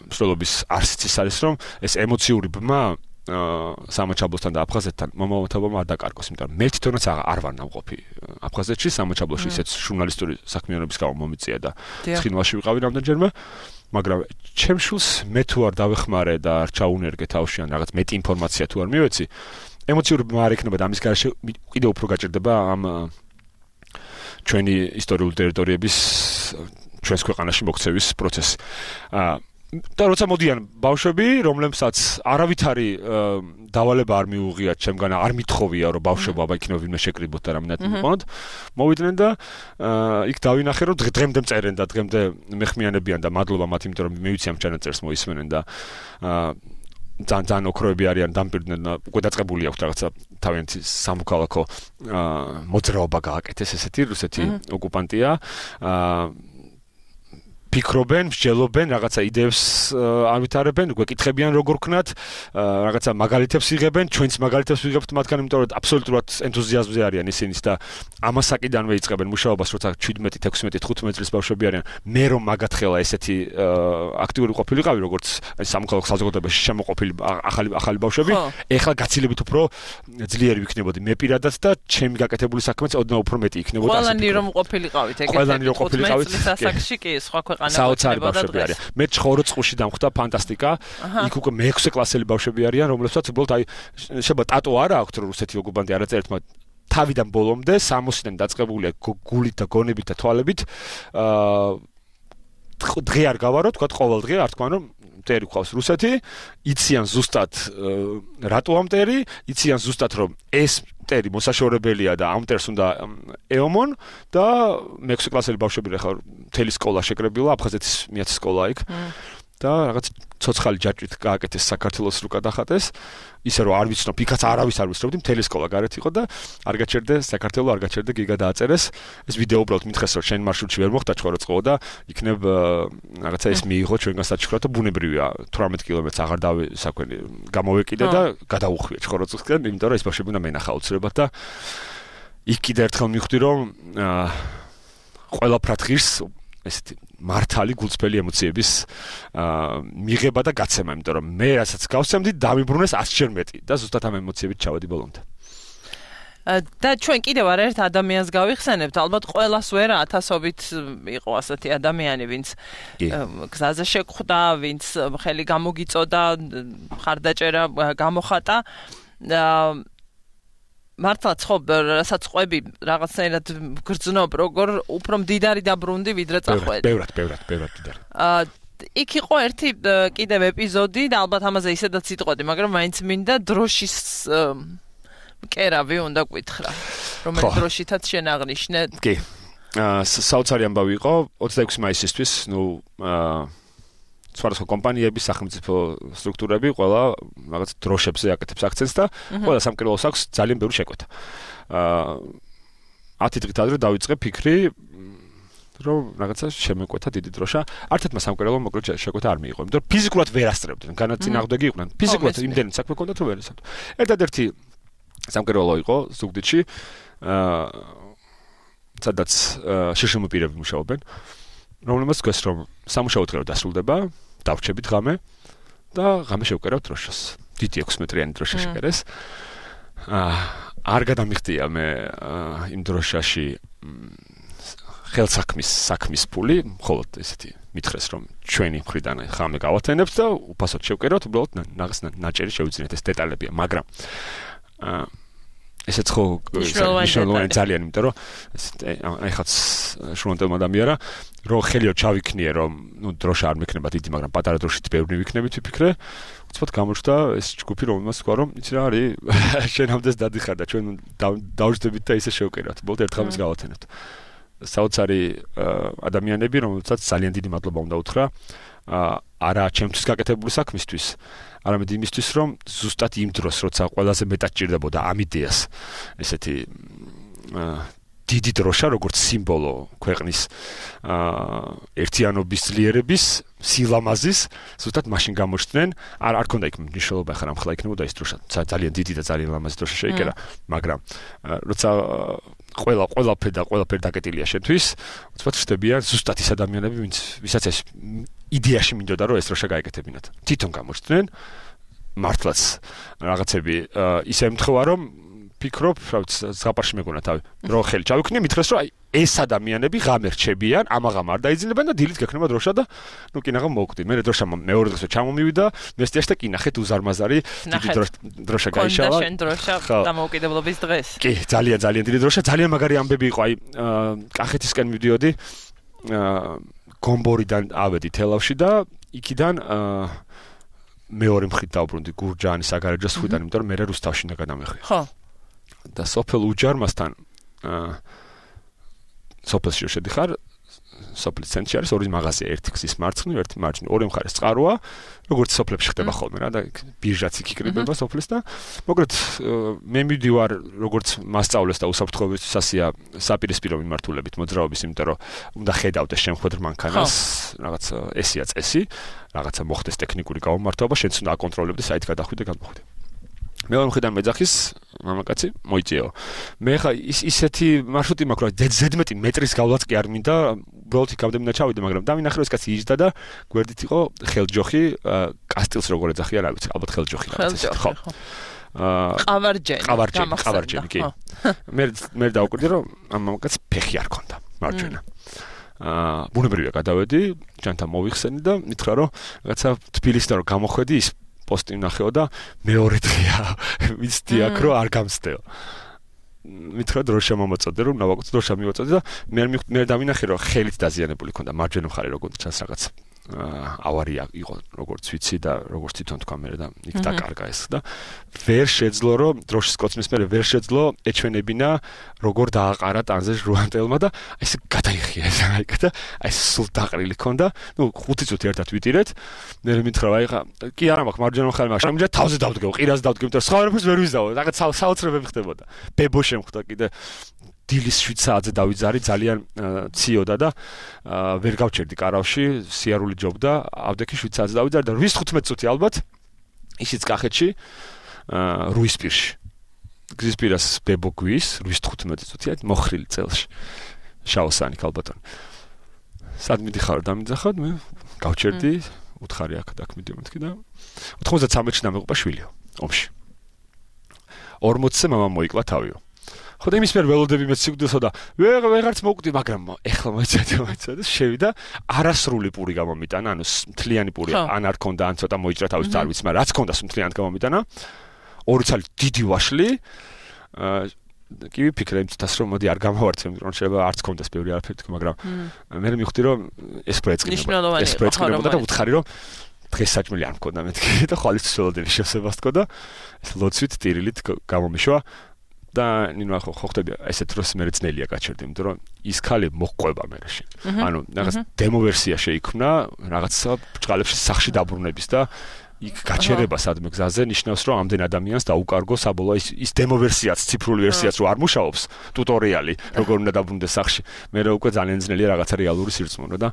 მსვლელობის არსიც ის არის რომ ეს ემოციური ბმა სამაჩაბლოსთან და აფხაზეთთან მომავალთაობამ არ დაკარგოს, იმიტომ რომ მე თვითონაც არ ვარ ნამყოფი აფხაზეთში, სამაჩაბლოში ისეთ ჟურნალისტური საქმიანობის გამო მომიწია და ცხინვალში ვიყავი რამდენჯერმე, მაგრამ ჩემ შულს მე თუ არ დავეხმარე და არ ჩაუნერგე თავში ან რაღაც მეტი ინფორმაცია თუ არ მივეცი, ემოციური ბმა არ ექნება და ამის გარშე კიდევ უფრო გაჭირდება ამ ჩვენი ისტორიული ტერიტორიების ჩვენს ქვეყანაში მოქცევის პროცესი. და როცა მოდიან ბავშვები, რომლებსაც არავითარი დავალება არ მიუღიათ ჩემგან, არ მithოვია რომ ბავშვობა აბა იქნება ვინმე შეკრიბოთ და რამენად მიყონოთ, მოვიდნენ და იქ დავინახე რომ დღემდე მწერენ და დღემდე მეხმიანებიან და მადლობა მათ, იმიტომ რომ მე ვიცი ამ ჩანაწერს მოისმენენ და ძალიან ოქროები არიან დამპირდნენ და უკვე დაწყებული აქვს რაღაცა თავიანთი სამოქალაქო მოძრაობა გააკეთეს ესეთი რუსეთი ოკუპანტია ფიქრობენ, მსჯელობენ, რაღაცა იდეებს ავითარებენ, გვეკითხებიან როგორ ქნათ, რაღაცა მაგალითებს იღებენ, ჩვენც მაგალითებს ვიღებთ მათგან, იმიტომ რომ აბსოლუტურად ენთუზიაზმზე არიან ისინიც და ამასაკიდანვე იწყებენ მუშაობას, როცა 17, 16, 15 წლის ბავშვები არიან. მე რომ მაგათხელა ესეთი აქტიური ყოფილიყავი, როგორც სამოქალაქო საზოგადოებაში შემოყოფილი ახალი ბავშვები, ეხლა გაცილებით უფრო ძლიერი ვიქნებოდი მე პირადად და ჩემი გაკეთებული საქმეც ოდნავ უფრო მეტი იქნებოდა. ყველანი რომ ყოფილიყავით, ეგეთი 15 წლის ასაკში კი სხვა საოცარი ბავშვები არიან. მე 9 წუთში დამხვდა ფანტასტიკა. იქ უკვე მე-6 კლასელი ბავშვები არიან, რომლებსაც უბრალოდ აი შეიძლება ტატო არა აქვთ რომ რუსეთი ოკუპანტი არაწერთ, მაგრამ თავიდან ბოლომდე 60-დან დაწყებულია გულით და გონებით და თვალებით. დღე არ გავარო, თქვა ყოველ დღე არ თქვა რომ მტერი ყავს რუსეთი, იციან ზუსტად რატო ამ მტერი, იციან ზუსტად რომ ეს მტერი მოსაშორებელია და ამ მტერს უნდა ეომონ და მე-6 კლასელი ბავშვები ხარ მთელი სკოლა შეკრებილა, აფხაზეთის მეათე სკოლა იქ და რაღაც ცოცხალი ჯაჭვით გააკეთეს საქართველოს რუკა დახატეს, ისე რომ არ ვიცნობ, იქაც არავის არ ვიცნობდი, მთელი სკოლა გარეთ იყო და არ გაჩერდე საქართველო, არ გაჩერდე გიგა დააწერეს. ეს ვიდეო უბრალოდ მითხეს რომ შენ მარშრუტში ვერ მოხდა ჩხოროწყო და იქნებ რაღაცა ეს მიიღო ჩვენგან საჩქრა და ბუნებრივია 18 კილომეტრს აღარ დავისაქვენი გამოვეკიდე და გადაუხვია ჩხოროწყისკენ, იმიტომ რომ ეს ბავშვები უნდა მენახა უცებად და იქ კიდე ერთხელ მივხვდი რომ ყველაფრად ღირს ესეთი მართალი გულწრფელი ემოციების მიღება და გაცემა, იმიტომ რომ მე რასაც გავსემდი დამიბრუნეს 100-ჯერ მეტი და ზუსტად ამ ემოციებით ჩავედი ბოლომდე. და ჩვენ კიდევ ერთ ადამიანს გავიხსენებთ, ალბათ ყველას ვერა ათასობით იყო ასეთი ადამიანი, ვინც გზაზე შეგხვდა, ვინც ხელი გამოგიწოდა, ხარდაჭერა გამოხატა. მართლაც ხო, რასაც ყვები რაღაცნაირად გრძნობ, როგორ უფრო მდიდარი დაბრუნდი, ვიდრე წახვედი. ბევრად მდიდარი. იქ იყო ერთი კიდევ ეპიზოდი და ალბათ ამაზე ისედაც იტყოდი, მაგრამ მაინც მინდა დროშის კერავი უნდა გკითხრა. რომელი დროშითაც შენ აღნიშნე? კი. საოცარი ამბავი იყო 26 მაისისთვის, სხვადასხვა კომპანიების, სახელმწიფო სტრუქტურები ყველა რაღაც დროშებზე აკეთებს აქცენტს და ყველა სამკერვალოს აქვს ძალიან ბევრი შეკვეთა. 10 დღით ადრე დავიწყე ფიქრი, რომ რაღაცა შემეკვეთა დიდი დროშა. არცერთმა სამკერვალომ მოკლედ შეკვეთა არ მიიღო, იმიტომ რომ ფიზიკურად ვერ ასწრებდნენ, განაწინააღმდეგი იყვნენ. ფიზიკურად იმდენი საქმე ჰქონდათ, რომ ვერ ესწრებდნენ. ერთადერთი სამკერვალო იყო ზუგდიდში, სადაც შეშმოპირები მუშაობენ, რომლებმაც თქვეს რომ სამუშაო დღე დასრულდება, დავრჩებით ღამე და ღამე შევკერავთ დროშას. დიდი 6 მეტრიანი დროშა შეკერეს. არ გადამიხდია მე იმ დროშაში ხელსაქმის ფული, მხოლოდ ესეთი მითხრეს რომ ჩვენი მხრიდან ღამე გავათენებთ და უფასოდ შევკერავთ, უბრალოდ ნაღს ნაჭერი შევიძინეთ, ეს დეტალებია, მაგრამ ესეც ხო მნიშვნელოვანი ძალიან, იმიტომ რომ ეხაც შრომანტელმა ადამიანა რომ ხელიო ჩავიქნიე რომ დროშა არ მექნება დიდი, მაგრამ პატარა დროშით ბევრი ვიქნებით ვიფიქრე, უცბად გამოჩნდა ეს ჯგუფი, რომელმაც თქვა რომ იცი რა არის, შენამდე დადიხარ და ჩვენ დავждდებით და ისე შევკერავთ, ბოლოდ ერთ ღამეს გავათენებთ. საოცარი ადამიანები, რომელსაც ძალიან დიდი მადლობა უნდა უთხრა, არა ჩემთვის გაკეთებული საქმისთვის, არამედ იმისთვის, რომ ზუსტად იმ დროს, როცა ყველაზე მეტად ჭირდებოდა ამ იდეას, ესეთი დიდი დროშა როგორც სიმბოლო ქვეყნის ერთიანობის ძლიერების სილამაზის ზუსტად მაშინ გამოჩნდნენ არ ქონდა იქ მნიშვნელობა ხარ ამხლა იქნებოდა ეს დროშა ძალიან დიდი და ძალიან ლამაზი დროშა შეიკერა მაგრამ როცა ყველაფერი დაკეტილია შენთვის უცბად ხდებიან ზუსტად ის ადამიანები ვისაც ეს იდეაში მინდოდა რომ ეს დროშა გაეკეთებინათ თვითონ გამოჩნდნენ მართლაც რაღაცები ისე ემთხვევა რომ ფიქრობ, ზღაპარში მეგონა თავი, რომ ხელი ჩავიქნი, მითხრეს, რომ აი ეს ადამიანები ღამე რჩებიან, ამაღამ არ დაიძინებენ და დილით გექნება დროშა და ნუ კინაღამ მოვკვდი. მე დროშა მეორე დღესვე ჩამომივიდა, მესტიაში და კინახეთ უზარმაზარი დიდი დროშა გაიშალა. კონდა შენ დროშა დამოუკიდებლობის დღეს. კი, ძალიან დიდი დროშა, ძალიან მაგარი ამბები იყო, აი კახეთისკენ მივდიოდი, გომბორიდან ავედი თელავში და იქიდან მეორე მხრით დავბრუნდი გურჯაანის საგარეჯოს ხვიდან, იმიტომ რომ მე რუსთავში უნდა გადამეხვია. ხო. და სოფელ უჯარმასთან სოფელში შედიხარ სოფლის ცენტრში არის ორი მაღაზია ერთი გზის მარცხნივ ერთი მარჯვნივ ორი მხარეს წყაროა როგორც სოფლებში ხდება ხოლმე რა და ბირჟაც იქ იკრიბება სოფლის და მოკლედ მე მივდივარ როგორც მასწავლეს და უსაფრთხოებისასია საპირისპირო მიმართულებით მოძრაობის იმიტომ რომ უნდა ხედავდეს შემხვედრ მანქანას რაღაც ესია წესი რაღაცა მოხდეს ტექნიკური გამომართვება შენც უნდა აკონტროლებდეს საით გადახვიდე გადმოხვიდე მეორე მხრიდან მეძახის მამაკაცი მოიწიო. მე ხა ისეთი მარშრუტი მაქვს რომ 11 მეტრის გავლაც კი არ მინდა, უბრალოდ იქამდე ჩავიდე, მაგრამ დავინახე რომ ეს კაცი იჯდა და გვერდით იყო ხელჯოხი, კასტილს როგორ ეძახიან, რა ვიცი, ალბათ ხელჯოხი რაღაცა. ხო. ყავარჯენი, კი. მე დავკვირდი რომ ამ მამაკაცს ფეხი არ ქონდა, მარჯვენა. ბუნებრივია გადავედი, ჯანთან მოვიხსენი და მითხრა რომ რაღაცა თბილისიდან რომ გამოხვედი ის პოსტი ნახეო და მეორე დღეა ვიცდი აქ რომ არ გამსდეო. მითხრა დროშა მომაწოდე რომ ნავაკუც დროშა მივაწოდე და მე დავინახე რომ ხელით დაზიანებული ქონდა მარჯვენა მხარე როგორც ჩანს რაღაც ავარია იყო როგორც ვიცი და როგორც თვითონ თქვა მე და იქ დაკარგა ეს და ვერ შეძლო რომ დროშის კოცნის მე ვერ შეძლო ეჩვენებინა როგორ დააყარა ტანზე ჟუანტელმა და ეს გადაიხია ეს და ეს სულ დაყრილი ქონდა ნუ 5 წუთი ერთად ვიტირეთ მე მითხრა აი ხა კი არა მაქვს მარჯვენა მხარე მაგრამ ამჯერად თავზე დავდგეო ყირას დავდგეო იმიტომ რომ სხვა რაფერს ვერ ვიზავო რაღაც საოცრებები ხდებოდა ბებო შემხვდა კიდე დილის 7 საათზე დავიძარი ძალიან ციოდა და ვერ გავჩერდი კარავში სიარული ჯობდა ავდექი 7 საათზე დავიძარი და 15 წუთი ალბათ ისიც კახეთში რუისპირში გზის პირას ბებო გვის 15 წუთია მოხრილი წელში შაოსანი ქალბატონი სად მიდიხარ დამიძახავ მე გავჩერდი უთხარი აქ მიდიო მეთქი და 93-ში დამეყობა შვილიო ომში 40-ზე მამა მოიკლა თავიო ხოდა იმის მერ ველოდები მე სიკვდილსა და ვეღარც მოვკვდი მაგრამ ეხლა მოიცადე შევიდა არასრული პური გამომიტანა ანუ მთლიანი პური ან არ ქონდა ან ცოტა მოიჭრა თავის არ ვიცი მაგრამ რაც ქონდა მთლიანად გამომიტანა ორი ცალი დიდი ვაშლი კი ვიფიქრე იმითაც რომ მოდი არ გამოვარდე რომ შეიძლება არც ქონდეს ბევრი არაფერი თქო მაგრამ მე მივხვდი რომ ეს პროექტი და უთხარი რომ დღეს საჭმელი არ მქონდა მეთქი და ხვალის ველოდები შესებას თქო და ეს ლოცვით ტირილით გამომიშვა და ნინო ხო ხდება ესეთ დროს მე ძნელია გაჩერდი იმიტომ რომ ის ქალი მოყვება მერეში ანუ რაღაც დემო ვერსია შეიქმნა რაღაც ბჭყალებში სახში დაბრუნების და იქ გაჩერება სადმე გზაზე ნიშნავს რომ ამდენ ადამიანს დაუკარგო საბოლოო ის დემო ვერსიაც ციფრული ვერსიაც რო არ მუშაობს ტუტორიალი როგორ უნდა დაბრუნდეს სახში მე რა უკვე ძალიან ძნელია რაღაცა რეალური სირწმუნო და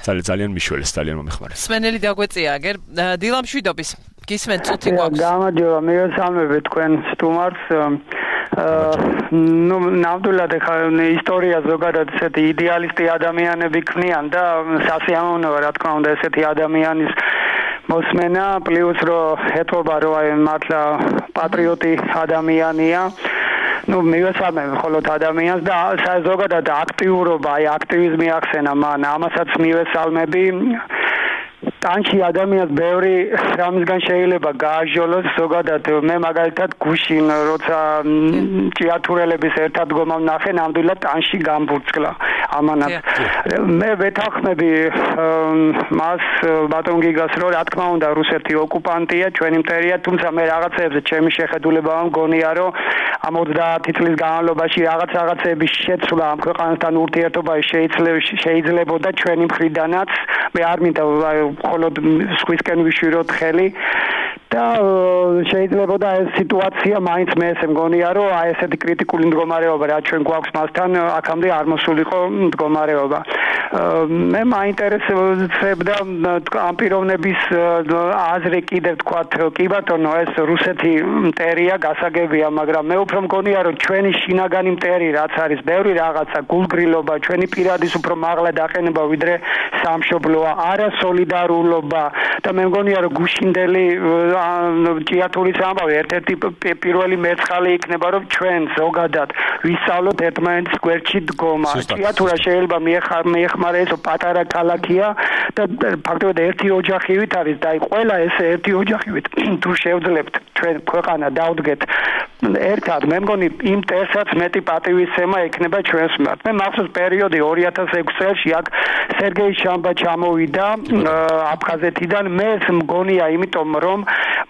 ძალიან მიშველეს ძალიან მომეხმარეს სმენელი დაგვეწია აგერ დილამშვიდობის გისმენთ წუთი გვაქვს გამარჯობა მიესალმები თქვენ სტუმარს ну, ნამდვილად ხა ისტორია ზოგადად ესეთი იდეალისტი ადამიანები ქმნიან და სასიამოვნოა რა თქმა უნდა ესეთი ადამიანის მოსმენა პლუს რომ ეთობა რომ აი მართლა პატრიოტი ადამიანია ну მივესალმებ ხოლოდ ადამიანს და ზოგადად აქტიურობა აი აქტივიზმი ახსენა მან ამასაც მივესალმები ტანში ადამიანს ბევრი რამისგან შეიძლება გააჟოლოს ზოგადად მე მაგალითად გუშინ როცა ჭიათურელების ერთად დგომა ვნახე ნამდვილად ტანში გამბურცკლა ამანაც მე ვეთანხმები მას ბატონ გიგას რომ რა თქმა უნდა რუსეთი ოკუპანტია ჩვენი მტერია თუმცა მე რაღაცებზე ჩემი შეხედულება მგონია რომ ამ 30 წლის განმავლობაში რაღაცების შეცვლა ამ ქვეყანასთან ურთიერთობაში შეიძლებოდა ჩვენი მხრიდანაც მე არ მინდა ხოლოდ სხვისკენ ვიშვიროთ ხელი და შეიძლება და ეს სიტუაცია მაინც მე ესე მგონია რომ აი ესეთი კრიტიკული მდგომარეობა რაც ჩვენ გვაქვს მასთან აქამდე არ მოსულიყო მდგომარეობა მე მაინტერესებდა ამ პიროვნების აზრი კიდევ თქვათ კი ბატონო ეს რუსეთი მტერია გასაგებია მაგრამ მე უფრო მგონია რომ ჩვენი შინაგანი მტერი რაც არის ბევრი რაღაცა გულგრილობა ჩვენი პირადის უფრო მაღლა დაყენება ვიდრე სამშობლოა არასოლიდარულობა და მე მგონია რომ გუშინდელი ჭიათურის ამბავი ერთ-ერთი პირველი მეწყალი იქნება რომ ჩვენ ზოგადად ვისწავლოთ ერთმანეთის გვერდში დგომა ჭიათურა შეიძლება მიეხმარებოდეთ პატარა ქალაქია და ფაქტობრივად ერთი ოჯახივით არის და ყველა ეს ერთი ოჯახივით თუ შევძლებთ ჩვენ ქვეყანა დავდგეთ ერთად მე მგონი იმ ტესტსაც მეტი პატივისცემა ექნება ჩვენს მიმართ მე მახსოვს პერიოდი 2006 წელს აქ სერგეი შამბა ჩამოვიდა აფხაზეთიდან მე მგონია იმიტომ რომ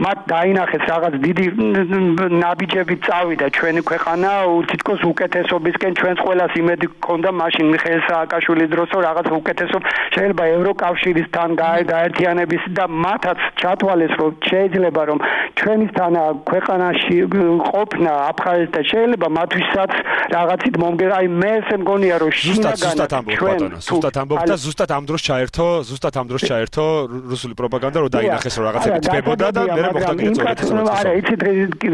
მათ დაინახეს რაღაც დიდი ნაბიჯები წავიდა ჩვენი ქვეყანა თითქოს უკეთესობისკენ ჩვენს ყველას იმედი გქონდა მაშინ მიხეილ სააკაშვილის დროს რომ რაღაც უკეთესობ შეიძლება ევროკავშირისთან გაერთიანების და მათაც ჩათვალეს რომ შეიძლება რომ ჩვენისთან ქვეყანაში ყოფნა აფხაზეთთან შეიძლება მათთვისაც რაღაცით მომგერა აი მე ესე მგონია რომ ზუსტად ამბობ და ზუსტად ამ დროს ჩაერთო რუსული პროპაგანდა რომ დაინახეს რომ რაღაცები თბებოდა და მე მოხდა კიდე არა იცით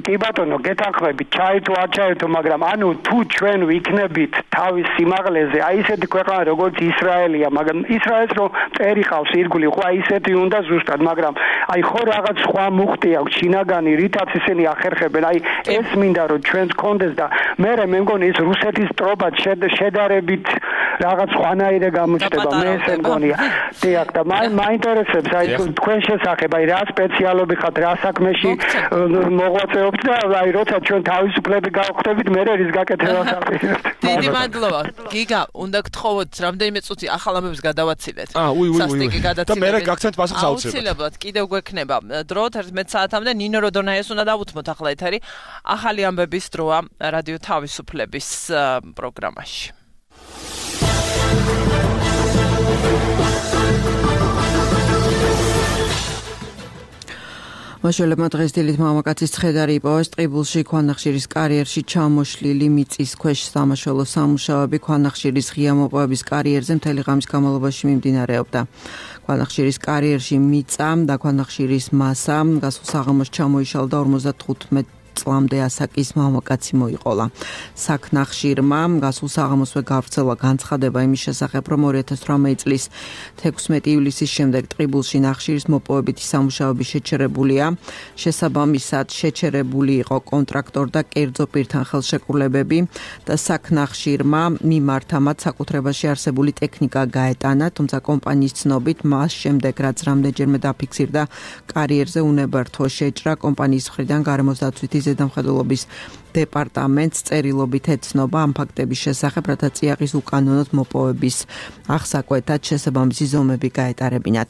კი ბატონო გეთანხმებით ჩაერთო არ ჩაერთო მაგრამ ანუ თუ ჩვენ ვიქნებით თავის სიმაღლეზე აი ისეთი ქვეყანა როგორც ისრაელია მაგრამ ისრაელს რომ წერი ყავს ირგვლივ ხო აი ისეთი უნდა ზუსტად მაგრამ აი ხო რაღაც სხვა მუხტი აქვს შინაგანი რითაც ისინი ახერხებენ აი ეს მინდა რომ ჩვენს კონდეს და მე მგონი ის რუსეთის ტრობად შედარებით რაღაც სხვანაირად გამოჩნდება მე ესე მგონია დიახ და მაინტერესებს აი თქვენ შესახებ აი რა სპეციალობი ხართ რა საქმეში მოღვაწეობთ და აი როცა ჩვენ თავისუფლები გავხდებით მე რის გაკეთებას აპირებთ დიდი მადლობა გიგა უნდა გთხოვოთ რამდენიმე წუთი ახალ ამბებს გადავაცილეთ სასტიკი და მე გაგცემთ პასუხს აუცილებლად კიდევ გვექნება დრო 11 საათამდე ნინო როდონაიას უნდა დავუთმოთ ახლა ეთერი ახალი ამბების დროა რადიო თავისუფლების პროგრამაში მაშველებმა დღეს დილით მამაკაცის ცხედარი იპოვეს ტყიბულში ქვანახშირის კარიერში ჩამოშლილი მიწის ქვეშ სამაშველო სამუშაოები ქვანახშირის ღია მოპოვების კარიერზე მთელი ღამის განმავლობაში მიმდინარეობდა. ქვანახშირის კარიერში მიწა და ქვანახშირის მასა გასულ საღამოს ჩამოიშალა და 55 წლამდე ასაკის მამაკაცი მოიყოლა. საქნახშირმა გასულ საღამოსვე გავრცელა განცხადება იმის შესახებ, რომ 2018 წლის 16 ივლისის შემდეგ ტყიბულში ნახშირის მოპოვებითი სამუშაოები შეჩერებულია. შესაბამისად, შეჩერებული იყო კონტრაქტორ და კერძო პირთან ხელშეკრულებები და საქნახშირმა მიმართა მათ საკუთრებაში არსებული ტექნიკა გაეტანა, თუმცა კომპანიის ცნობით მას შემდეგ რაც რამდენჯერმე დაფიქსირდა კარიერზე უნებართვო შეჭრა კომპანიის მხრიდან გარემოს დაცვითი ზედამხედველობის დეპარტამენტს წერილობით ეცნობა ამ ფაქტების შესახებ, რათა წიაღის უკანონოდ მოპოვების აღსაკვეთად შესაბამისი ზომები გაეტარებინათ.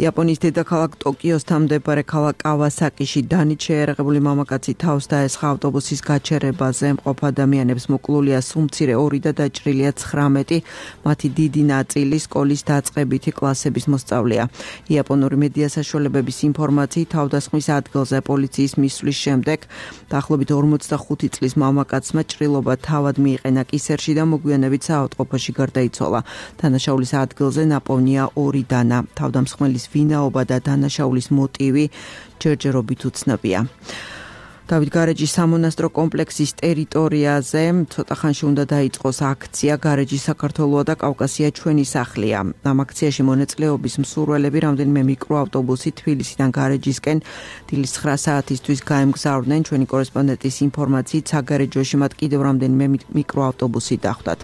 იაპონიის დედაქალაქ ტოკიოსთან მდებარე ქალაქ კავასაკიში დანით შეერაღებული მამაკაცი თავს დაესხა ავტობუსის გაჩერებაზე. მყოფ ადამიანებს მოკლულია სუმცირე 2 და დაჭრილია 19. მათი დიდი ნაწილი სკოლის დაწყებითი კლასების მოსწავლეა. იაპონური მედია საშუალებების ინფორმაციით თავდასხმის ადგილზე პოლიციის მისვლის შემდეგ დაახლოებით 45 წლის მამაკაცმა ჭრილობა თავად მიიყენა კისერში და მოგვიანებით საავადმყოფოში გარდაიცვალა. დანაშაულის ადგილზე ნაპოვნია 2 დანა. თავდამსხმელის ვინაობა და დანაშაულის მოტივი ჯერჯერობით უცნობია. დავით გარეჯის სამონასტრო კომპლექსის ტერიტორიაზე ცოტა ხანში უნდა დაიწყოს აქცია გარეჯი საქართველოა და კავკასია ჩვენი სახლია. ამ აქციაში მონაწილეობის მსურველები რამდენიმე მიკროავტობუსი თბილისიდან გარეჯისკენ დილის 9 საათისთვის გაემგზავრნენ. ჩვენი კორესპონდენტის ინფორმაციით საგარეჯოში მათ კიდევ რამდენიმე მიკროავტობუსი დახვდათ.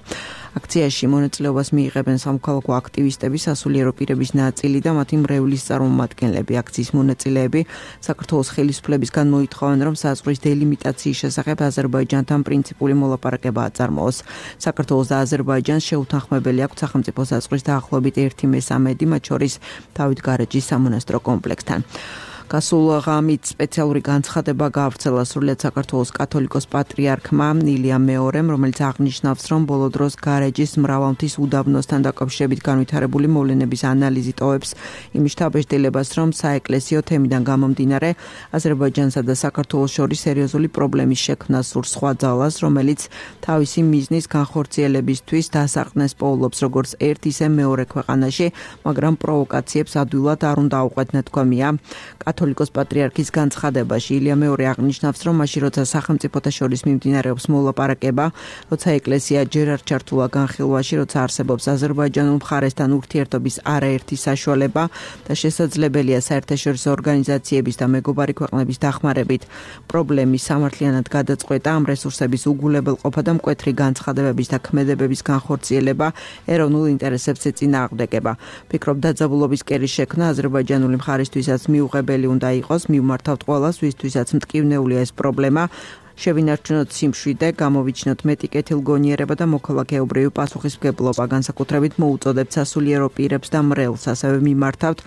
აქციაში მონაწილეობას მიიღებენ სამოქალაქო აქტივისტები, სასულიერო პირების ნაწილი და მათი მრევლის წარმომადგენლები. აქციის მონაწილეები საქართველოს ხელისუფლებისგან მოითხოვენ, რომ საზღვრის დელიმიტაციის შესახებ აზერბაიჯანთან პრინციპული მოლაპარაკება აწარმოოს. საქართველოს და აზერბაიჯანს შეუთანხმებელი აქვს სახელმწიფო საზღვრის დაახლოებით 1/3, მათ შორის დავით გარეჯის სამონასტრო კომპლექსთან. გასულ ღამით სპეციალური განცხადება გაავრცელა სრულიად საქართველოს კათოლიკოს პატრიარქმა ილიამ მეორემ, რომელიც აღნიშნავს, რომ ბოლო დროს გარეჯის მრავალმთის უდაბნოსთან დაკავშირებით განვითარებული მოვლენების ანალიზი ტოვებს იმ შთაბეჭდილებას, რომ საეკლესიო თემიდან გამომდინარე აზერბაიჯანსა და საქართველოს შორის სერიოზული პრობლემის შექმნა სურს სხვა ძალას, რომელიც თავისი მიზნის განხორციელებისთვის დასაყრდნეს პოულობს როგორც ერთ ისე მეორე ქვეყანაში, მაგრამ პროვოკაციებს ადვილად არ უნდა აუყვეთნეთ თქვენია. კათოლიკოს პატრიარქის განცხადებაში ილია მეორე აღნიშნავს, რომ მაშინ როცა სახელმწიფოთა შორის მიმდინარეობს მოლაპარაკება, როცა ეკლესია ჯერ არ ჩართულა განხილვაში, როცა არსებობს აზერბაიჯანულ მხარესთან ურთიერთობის არაერთი საშუალება და შესაძლებელია საერთაშორისო ორგანიზაციების და მეგობარი ქვეყნების დახმარებით პრობლემის სამართლიანად გადაწყვეტა, ამ რესურსების უგულებელყოფა და მკვეთრი განცხადებების და ქმედებების განხორციელება ეროვნულ ინტერესებს ეწინააღმდეგება. ფიქრობ დაძაბულობის კერის შექმნა აზერბაიჯანული მხარისთვისაც მიუღებელი უნდა იყოს, მივმართავთ ყველას, ვისთვისაც მტკივნეულია ეს პრობლემა. შევინარჩუნოთ სიმშვიდე, გამოვიჩინოთ მეტი კეთილგონიერება და მოქალაქეობრივი პასუხისმგებლობა, განსაკუთრებით მოუწოდებთ სასულიერო პირებს და მრევლს, ასევე მიმართავთ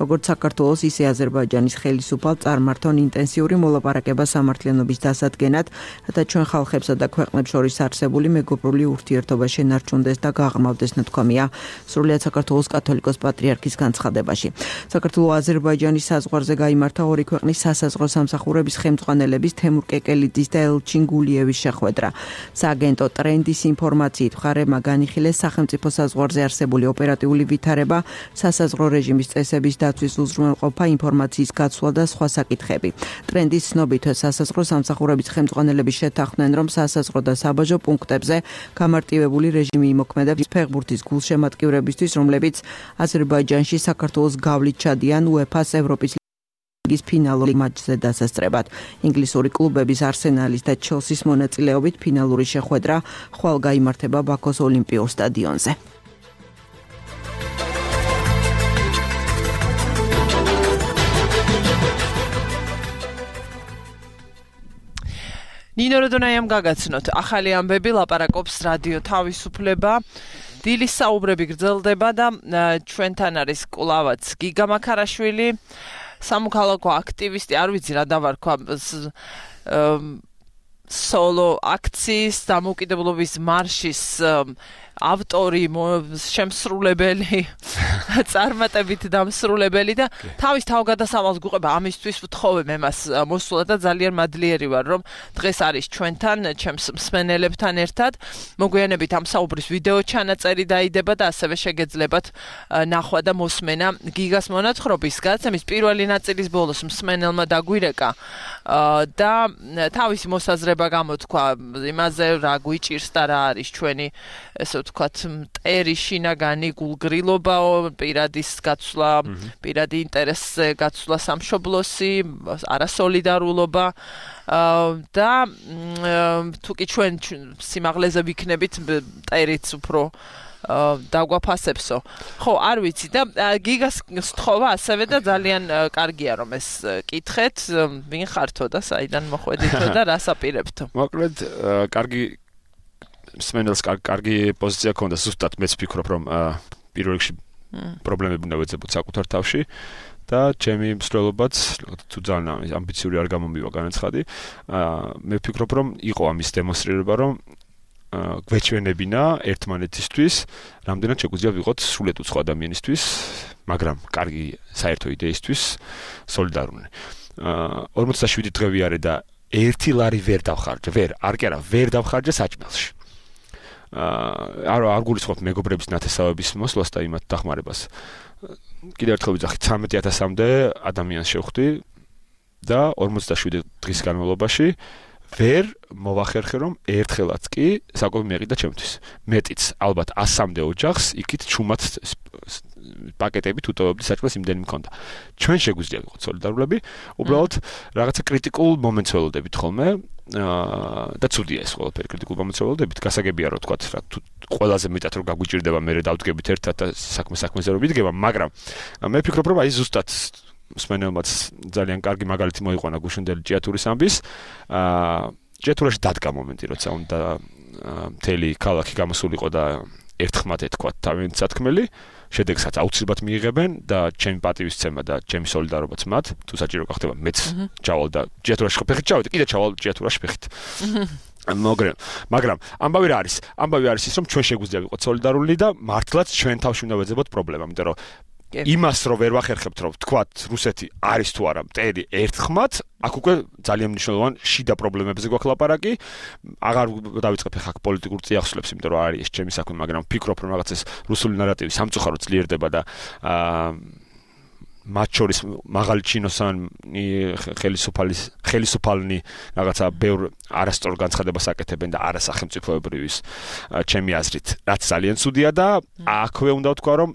როგორც საქართველოს, ისე აზერბაიჯანის ხელისუფალ წარმართონ ინტენსიური მოლაპარაკება სამართლიანობის დასადგენად, რათა ჩვენ ხალხებსა და ქვეყნებს შორის არსებული მეგობრული ურთიერთობა შენარჩუნდეს და გაღრმავდეს, ნათქვამია სრულიად საქართველოს კათოლიკოს პატრიარქის განცხადებაში. საქართველო-აზერბაიჯანის საზღვარზე გაიმართა ორი ქვეყნის სასაზღვრო სამსახურების ხელმძღვანელების თემურ კეკელიძის და ელჩინ გულიევის შეხვედრა. სააგენტო ტრენდის ინფორმაციით მხარეებმა განიხილეს სახელმწიფო საზღვარზე არსებული ოპერატიული ვითარება, სასაზღვრო რეჟიმის წესების დაცვის უზრუნველყოფა, ინფორმაციის გაცვლა და სხვა საკითხები. ტრენდის ცნობით სასაზღვრო სამსახურების ხელმძღვანელები შეთანხმდნენ, რომ სასაზღვრო და საბაჟო პუნქტებზე გამარტივებული რეჟიმი იმოქმედებს ფეხბურთის გულშემატკივრებისთვის, რომლებიც აზერბაიჯანში საქართველოს გავლით ჩადიან უეფა-ს ევროპის ლიგის ფინალური მატჩზე დასასწრებად. ინგლისური კლუბების არსენალის და ჩელსის მონაწილეობით ფინალური შეხვედრა ხვალ გაიმართება ბაქოს ოლიმპიურ სტადიონზე. ნინო როდონაიამ გაგაცნოთ ახალი ამბები, ლაპარაკობს რადიო თავისუფლება. დილის საუბრები გრძელდება და ჩვენთან არის კვლავაც გიგა მაქარაშვილი, სამოქალაქო აქტივისტი, არ ვიცი რა დავარქვა, სოლო აქციის დამოუკიდებლობის მარშის ავტორი, შემსრულებელი, წარმატებით დამსრულებელი და თავის თავგადასავალს გუყება, ამისთვის ვთხოვე მე მას მოსულა და ძალიან მადლიერი ვარ, რომ დღეს არის ჩვენთან, ჩემს მსმენელებთან ერთად. მოგვიანებით ამ საუბრის ვიდეო ჩანაწერი დაიდება და ასევე შეგეძლებათ ნახვა და მოსმენა გიგას მონათხრობის გაცემის პირველი ნაწილის ბოლოს მსმენელმა დაგვირეკა და თავისი მოსაზრება გამოთქვა იმაზე, რა გვიჭირს და რა არის ჩვენი ესე ვთქვათ, მტერი შინაგანი გულგრილობაო, პირადის გაცვლა, პირადი ინტერესზე გაცვლა სამშობლოსი, არასოლიდარულობა და თუკი ჩვენ სიმაღლეზე ვიქნებით, მტერიც უფრო დაგვაფასებსო. ხო, არ ვიცი და გიგას სთხოვა ასევე და ძალიან კარგია რომ ეს კითხეთ, ვინ ხართო და საიდან მოხვედითო და რას აპირებთო. მოკლედ, კარგი მსმენელს კარგი პოზიცია ქონდა, ზუსტად მეც ვფიქრობ, რომ პირველ რიგში პრობლემები უნდა ვეძებოთ საკუთარ თავში და ჩემი მსვლელობაც თუ ძალიან ამბიციური არ გამომივა განაცხადი, მე ვფიქრობ, რომ იყო ამის დემონსტრირება, რომ გვეჩვენებინა ერთმანეთისთვის, რამდენად შეგვიძლია ვიყოთ სრულიად უცხო ადამიანისთვის, მაგრამ კარგი საერთო იდეისთვის სოლიდარული. 47 დღე ვიარე და ერთი ლარი ვერ დავხარჯე, ვერ დავხარჯე საჭმელში. არ გულისხმობთ მეგობრების ნათესავების მოსვლას და იმათ დახმარებას. კიდევ ერთხელ ვიძახით 13,000-მდე ადამიანს შევხვდი და 47 დღის განმავლობაში ვერ მოვახერხე, რომ ერთხელაც კი საკუთარი მეყიდა ჩემთვის. მეტიც ალბათ 100-მდე ოჯახს იქით ჩუმად პაკეტებით უტოვებდი საჭმელს იმდენი მქონდა. ჩვენ შეგვიძლია ვიყოთ სოლიდარულები, უბრალოდ რაღაცა კრიტიკულ მომენტს ველოდებით ხოლმე და ცუდია ეს ყველაფერი კრიტიკულ მომენტს ველოდებით. გასაგებია რომ თქვათ რა თუ ყველაზე მეტად რომ გაგვიჭირდება მე დავდგებით ერთად და საქმეზე რომ ვიდგება, მაგრამ მე ვფიქრობ რომ აი ზუსტად მსმენელმაც ძალიან კარგი მაგალითი მოიყვანა გუშინდელი ჭიათურის ამბის. ჭიათურაში დადგა მომენტი, როცა უნდა მთელი ქალაქი გამოსულიყო და ერთხმად ეთქვათ თავიანთი სათქმელი, შედეგსაც აუცილებლად მიიღებენ და ჩემი პატივისცემა და ჩემი სოლიდარობაც მათ, თუ საჭირო გახდება, მეც ჩავალ და ჯიათურაში ხფეხით ჩავედი, კიდე ჩავალ ჯიათურაში ფეხით. მაგრამ ამბავი რა არის? ამბავი არის ის, რომ ჩვენ შეგვიძლია ვიყოთ სოლიდარული და მართლაც ჩვენ თავში უნდა ვეძებოთ პრობლემა, იმიტომ რომ იმას რო ვერ ვახერხებთ, რომ თქვათ რუსეთი არის თუ არა მტერი ერთხმად, აქ უკვე ძალიან მნიშვნელოვანი შიდა პრობლემებზე გვაქვს ლაპარაკი. აღარ დავიწყებ ახლა პოლიტიკურ წიაღსვლებს, იმიტომ რომ არის ეს ჩემი საქმე, მაგრამ ვფიქრობ, რომ რაღაც ეს რუსული ნარატივი სამწუხაროდ ძლიერდება და მათ შორის მაღალი ჩინოსანი ხელისუფალნი რაღაცა ბევრ არასწორ განცხადებას აკეთებენ და არასახელმწიფოებრივის ჩემი აზრით, რაც ძალიან ცუდია და აქვე უნდა ვთქვა, რომ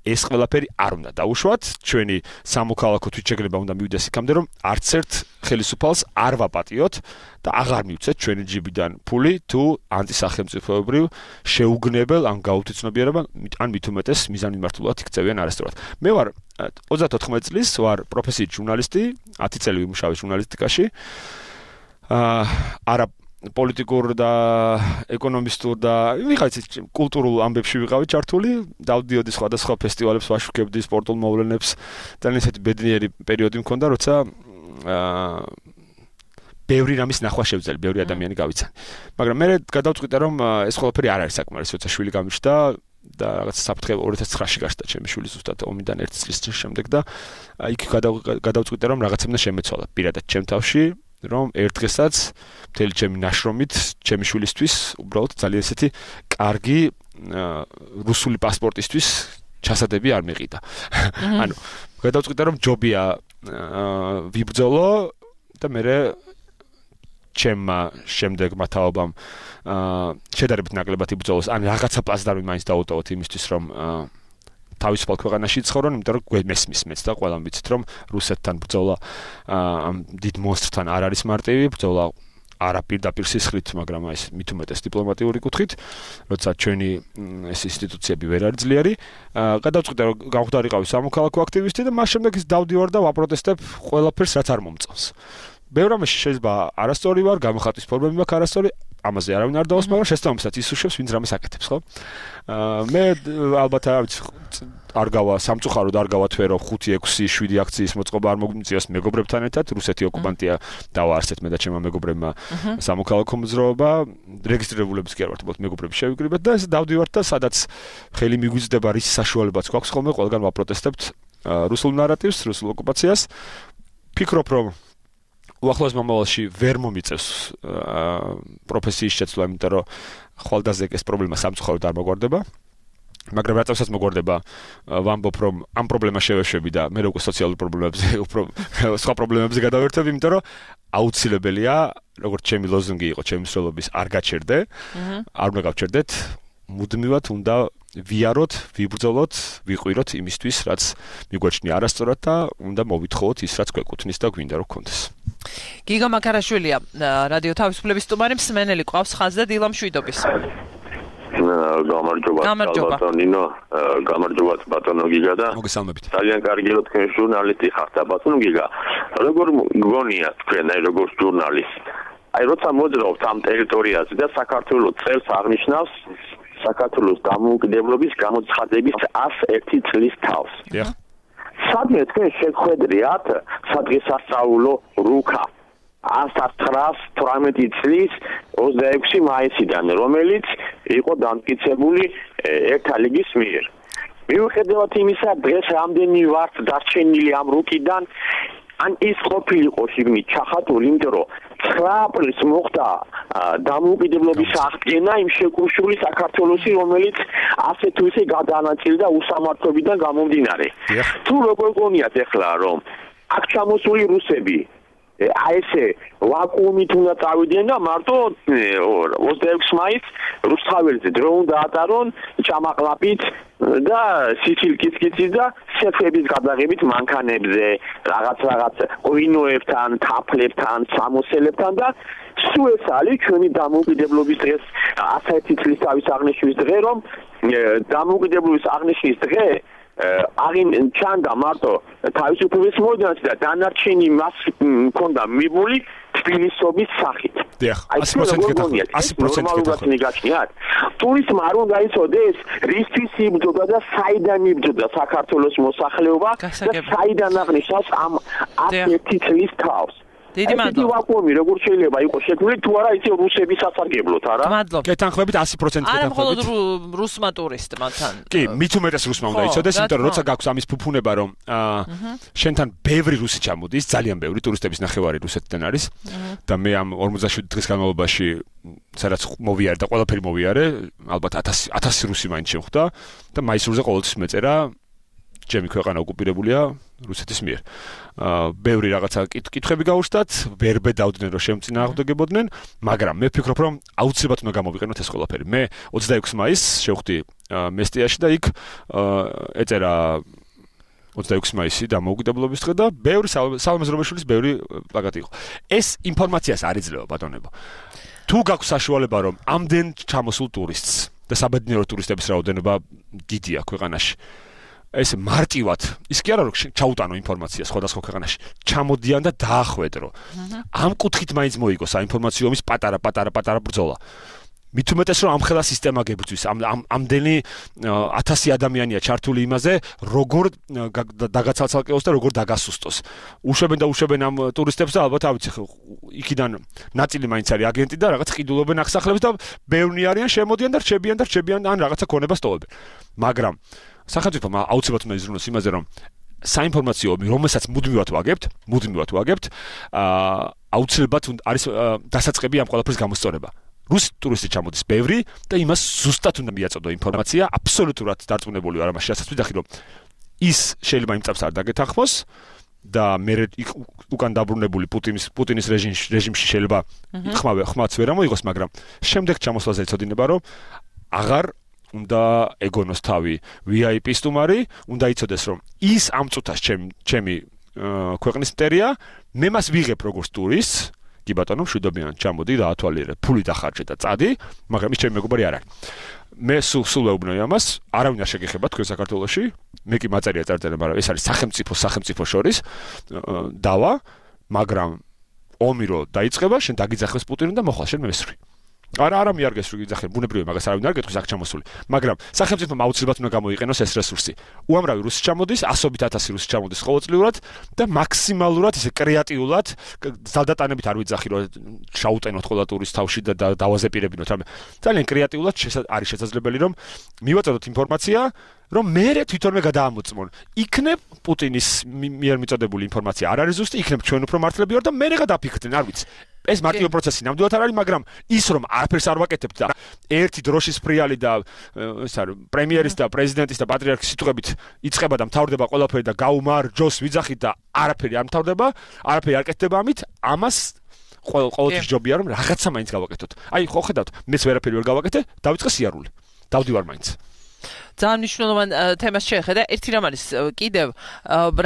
ეს ყველაფერი არ უნდა დაუშვათ, ჩვენი სამოქალაქო თვითშეგნება უნდა მივიდეს იქამდე, რომ არც ერთ ხელისუფალს არ ვაპატიოთ და აღარ მივცეთ ჩვენი ჯიბიდან ფული თუ ანტისახელმწიფოებრივ შეუგნებელ ან გაუთიცნობიერებელ ან მით უმეტეს მიზანმიმართულად იქცევიან არასწორად. მე ვარ 34 წლის, ვარ პროფესიით ჟურნალისტი, 10 წელი ვიმუშავე ჟურნალისტიკაში. არა პოლიტიკურ და ეკონომისტურ და ვიღაც კულტურულ ამბებში ვიყავი ჩართული, დავდიოდი სხვადასხვა ფესტივალებს, ვაშუქებდი სპორტულ მოვლენებს, ძალიან ისეთი ბედნიერი პერიოდი მქონდა, როცა ბევრი რამის ნახვა შევძელი, ბევრი ადამიანი გავიცანი. მაგრამ მე გადავწყვიტე, რომ ეს ყველაფერი არ არის საკმარისი, როცა შვილი გამიჩნდა და რაღაც საფრთხე 2009-ში გაშდა ჩემი შვილი ზუსტად ომიდან 1 წლის შემდეგ და იქ გადავწყვიტე, რომ რაღაცა უნდა შემეცვალა პირადად ჩემ თავში, რომ ერთ დღესაც მთელი ჩემი ნაშრომით ჩემი შვილისთვის უბრალოდ ძალიან ესეთი კარგი რუსული პასპორტისთვის ჩასადები არ მეყიდა. ანუ გადავწყვიტე, რომ ჯობია ვიბრძოლო და მე ჩემმა შემდეგმა თაობამ შედარებით ნაკლებად იბრძოლოს, ან რაღაცა პლაცდარმი მაინც დაუტოვოთ იმისთვის, რომ თავისუფალ ქვეყანაში ცხოვრონ, იმიტომ რომ გვესმის მეც და ყველამ ვიცით, რომ რუსეთთან ბრძოლა ამ დიდ მონსტრთან არ არის მარტივი, ბრძოლა არა პირდაპირ სისხლით, მაგრამ ეს მით უმეტეს დიპლომატიური კუთხით, როცა ჩვენი ეს ინსტიტუციები ვერ არის ძლიერი. გადავწყვიტე, რომ გავხდარიყავი სამოქალაქო აქტივისტი და მას შემდეგ ის დავდივარ და ვაპროტესტებ ყველაფერს, რაც არ მომწონს. ბევრ რამეში შეიძლება არასწორი ვარ, გამოხატვის ფორმები მაქვს არასწორი, ამაზე არავინ არ დავოს, მაგრამ შესაბამისად ის უშვებს, ვინც რამეს აკეთებს, ხო? მე ალბათ არ გავა სამწუხაროდ არ გავათვერო 5, 6, 7 აქციის მოწყობა არ მოგმწიოს მეგობრებთან ერთად, რუსეთი ოკუპანტია დავაარსეთ მე და ჩემმა მეგობრებმა სამოქალაქო მოძრაობა, რეგისტრირებულებს კი არ ვართ, უბრალოდ მეგობრები შევიკრიბეთ და ეს დავდივართ და სადაც ხელი მიგვიძდება, რის საშუალებაც გვაქვს ხოლმე, ყველგან ვაპროტესტებთ რუსულ ნარატივს, რუსულ ოკუპაციას. ფიქრობ, რომ უახლოეს მომავალში ვერ მომიწევს პროფესიის შეცვლა, იმიტომ რომ ხვალდაზე ეს პრობლემა სამწუხაროდ არ მოგვარდება. მაგრამ რატომაც მოგვარდება, ვამბობ, რომ ამ პრობლემას შევეშვები და მე როგორ სოციალურ პრობლემებზე, სხვა პრობლემებზე გადავერთებ, იმიტომ რომ აუცილებელია, როგორც ჩემი ლოზუნგი იყო, ჩემი მსვლელობის არ გაჩერდე, არ უნდა გავჩერდეთ, მუდმივად უნდა ვიაროთ, ვიბრძოლოთ, ვიყვიროთ იმისთვის, რაც მიგვაჩნია არასწორად და უნდა მოვითხოვოთ ის, რაც გვეკუთვნის და გვინდა რომ გქონდეს. გიგა მაკარაშვილია, რადიო თავისუფლების სტუმარი, მსმენელი ყავს ხაზზე დილა მშვიდობის. გამარჯობა ბატონო, გამარჯობა ბატონო გიგა და მოგესალმებით. ძალიან კარგი რომ თქვენ ჟურნალისტი ხართ და ბატონო გიგა. როგორ გონია თქვენ როგორც ჟურნალისტი? აი როცა მოძრაობთ ამ ტერიტორიაზე და საქართველოს წელს აღნიშნავს საქართველოს დამოუკიდებლობის გამოცხადების 101 წლის თავს. დიახ. სადმე თქვენ შეხვედრიათ სადღესასწაულო რუკა 1918 წლის 26 მაისიდან, რომელიც იყო დამტკიცებული ერთა ლიგის მიერ. მიუხედავად იმისა, დღეს რამდენი ვართ დარჩენილი ამ რუკიდან, ან ის ყოფილიყო შიგნით ჩახატული, იმიტომ რომ 9 აპრილს მოხდა დამოუკიდებლობის აღდგენა იმ შეკუმშული საქართველოსი, რომელიც ასე თუ ისე გადაანაწილდა უსამართლობიდან გამომდინარე. თუ როგორ გონიათ ახლა, რომ აქ ჩამოსული რუსები ესე ვაკუუმით უნდა წავიდნენ და მარტო 26 მაისს რუსთაველზე დრო უნდა ატარონ ჭამაყლაპით და სიცილკიცკიცით და სეფების გადაღებით მანქანებზე, რაღაც ღვინოებთან, თაფლებთან, სამოსელებთან და სულ ეს არის ჩვენი დამოუკიდებლობის დღეს 101 წლის თავის აღნიშვნის დღე, რომ დამოუკიდებლობის აღნიშვნის დღე აღინ ჩანდა მარტო თავისუფლების მოედანში და დანარჩენი მას მქონდა მიბული თბილისობის სახით. დიახ, 100% გეთახმებით. 100% გეთახმებით. ტურისტმა არ უნდა იცოდეს, რისთვის იბრძოდა და საიდან იბრძოდა საქართველოს მოსახლეობა და საიდან აღნიშნავს ამ 11 წლის თავს. დიდი მადლობა. ვაკუუმი როგორ შეიძლება იყოს შექმნილი თუ არა იცი რუსების სასარგებლოდ არა? მადლობა. გეთანხმებით 100% გეთანხმებით. არა მხოლოდ რუსმა ტურისტმა თან. კი, მით უმეტეს რუსმა უნდა იცოდეს, იმიტომ რომ როცა გაქვს ამის ფუფუნება, რომ შენთან ბევრი რუსი ჩამოდის, ძალიან ბევრი ტურისტების ნახევარი რუსეთიდან არის და მე ამ 47 დღის განმავლობაში სადაც მოვიარე და ყველაფერი მოვიარე, ალბათ 1000 რუსი მაინც შემხვდა და მაისურზე ყოველთვის მეწერა ჩემი ქვეყანა ოკუპირებულია რუსეთის მიერ. ბევრი რაღაცა კითხვები გაუჩნდათ, ვერ ბედავდნენ რომ შემწინააღმდეგებოდნენ, მაგრამ მე ვფიქრობ რომ აუცილებლად უნდა გამოვიყენოთ ეს ყველაფერი. მე 26 მაისს შევხვდი მესტიაში და იქ ეწერა 26 მაისი დამოუკიდებლობის დღე და ბევრი სალამაზრობაშვილის ბევრი პლაკატი იყო. ეს ინფორმაციას არ იძლევა ბატონებო. თუ გაქვს საშუალება რომ ამდენ ჩამოსულ ტურისტს და საბედნიერო ტურისტების რაოდენობა დიდია ქვეყანაში ეს მარტივად ის კი არა რომ ჩაუტანო ინფორმაცია სხვადასხვა ქვეყანაში ჩამოდიან და დაახვედრო ამ კუთხით მაინც მოიგო საინფორმაციო ომის პატარა ბრძოლა მით უმეტეს რომ ამხელა სისტემა გებრძვის ამდენი 1000 ადამიანია ჩართული იმაზე როგორ დაგაცალცალკეოს და როგორ დაგასუსტოს უშვებენ ამ ტურისტებს და ალბათ ავიცი იქიდან ნაწილი მაინც არის აგენტი და რაღაც ყიდულობენ აღსახლებს და ბევრნი არიან შემოდიან და რჩებიან ან რაღაცა ქონება სტოვებენ მაგრამ სახელმწიფომ აუცილებლად უნდა იზრუნოს იმაზე რომ საინფორმაციო ომი რომელსაც მუდმივად ვაგებთ აუცილებლად არის დასაწყები ამ ყველაფრის გამოსწორება რუსი ტურისტი ჩამოდის ბევრი და იმას ზუსტად უნდა მიაწოდო ინფორმაცია აბსოლუტურად დარწმუნებული ვარ ამაში რასაც ვიდახი რომ ის შეიძლება იმ წამს არ დაგეთანხმოს და მე უკან დაბრუნებული პუტინის რეჟიმში შეიძლება ხმაც ვერ ამოიღოს მაგრამ შემდეგ ჩამოსვლაზე ეცოდინება რომ აღარ უნდა ეგონოს თავი VIP სტუმარი, უნდა იცოდეს რომ ის ამ წუთას ჩემი ქვეყნის მტერია, მე მას ვიღებ როგორც ტურისტს, კი ბატონო, მშვიდობიან ჩამოდი და ათვალიერე, ფული დახარჯე და წადი, მაგრამ ის ჩემი მეგობარი არ არის. მე სულ ვეუბნოი ამას, არავინ არ შეგეხება თქვენ საქართველოში, მე კი მაწერია წარწერა, მაგრამ ეს არის სახელმწიფო შორის დავა, მაგრამ ომი რო დაიწყება, შენ დაგიძახებს პუტინი და მოხვალ შენ მესვრი. არა მიარგეს რომ იძახენ ბუნებრივია მაგას არავინ არ გეტყვის აქ ჩამოსული მაგრამ სახელმწიფომ აუცილებლად უნდა გამოიყენოს ეს რესურსი უამრავი რუსი ჩამოდის 100-1000 რუსი ჩამოდის ყოველწლიურად და მაქსიმალურად ისე კრეატიულად ძალდატანებით არ ვიძახი რომ შაუტენოთ ყველა ტურისტს თავში და დავაზეპირებინოთ რამე ძალიან კრეატიულად არის შესაძლებელი რომ მივაწოდოთ ინფორმაცია რომ მე თვითონვე გადაამოწმონ იქნებ პუტინის მიერ მიწოდებული ინფორმაცია არ არის ზუსტი იქნებ ჩვენ უფრო მართლები ვარ და მე გადაფიქრდნენ არ ვიცი ეს მარტივი პროცესი ნამდვილად არ არის მაგრამ ის რომ არაფერს არ ვაკეთებთ და ერთი დროშის ფრიალი და ეს არის პრემიერის და პრეზიდენტის და პატრიარქის სიტყვებით იწყება და მთავრდება ყველაფერი და გაუმარჯოს ვიძახით და არაფერი არ მთავრდება არაფერი არ კეთდება ამით ამას ყოველთვის ჯობია რომ რაღაცა მაინც გავაკეთოთ აი ხო ხედავთ მეც ვერაფერი ვერ გავაკეთე დავიწყე სიარული დავდივარ მაინც ძალიან მნიშვნელოვან თემას შეხედა. ერთი რამ არის კიდევ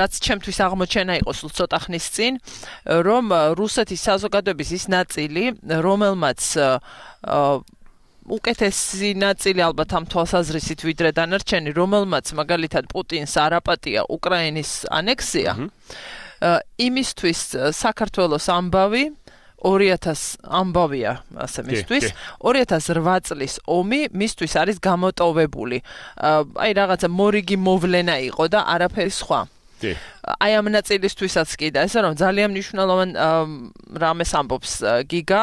რაც ჩემთვის აღმოჩენა იყო სულ ცოტა ხნის წინ, რომ რუსეთის საზოგადოების ის ნაწილი, რომელმაც უკეთესი ნაწილი ალბათ ამ თვალსაზრისით ვიდრე დანარჩენი, რომელმაც მაგალითად პუტინს არ აპატია უკრაინის ანექსია, იმისთვის საქართველოს ამბავი 2000 ამბავია ასე მისთვის 2008 წლის ომი მისთვის არის გამოტოვებული აი რაღაცა მორიგი მოვლენა იყო და არაფერი სხვა აი ამ ნაწილისთვისაც კი და ესე რომ ძალიან მნიშვნელოვან რამეს ამბობს გიგა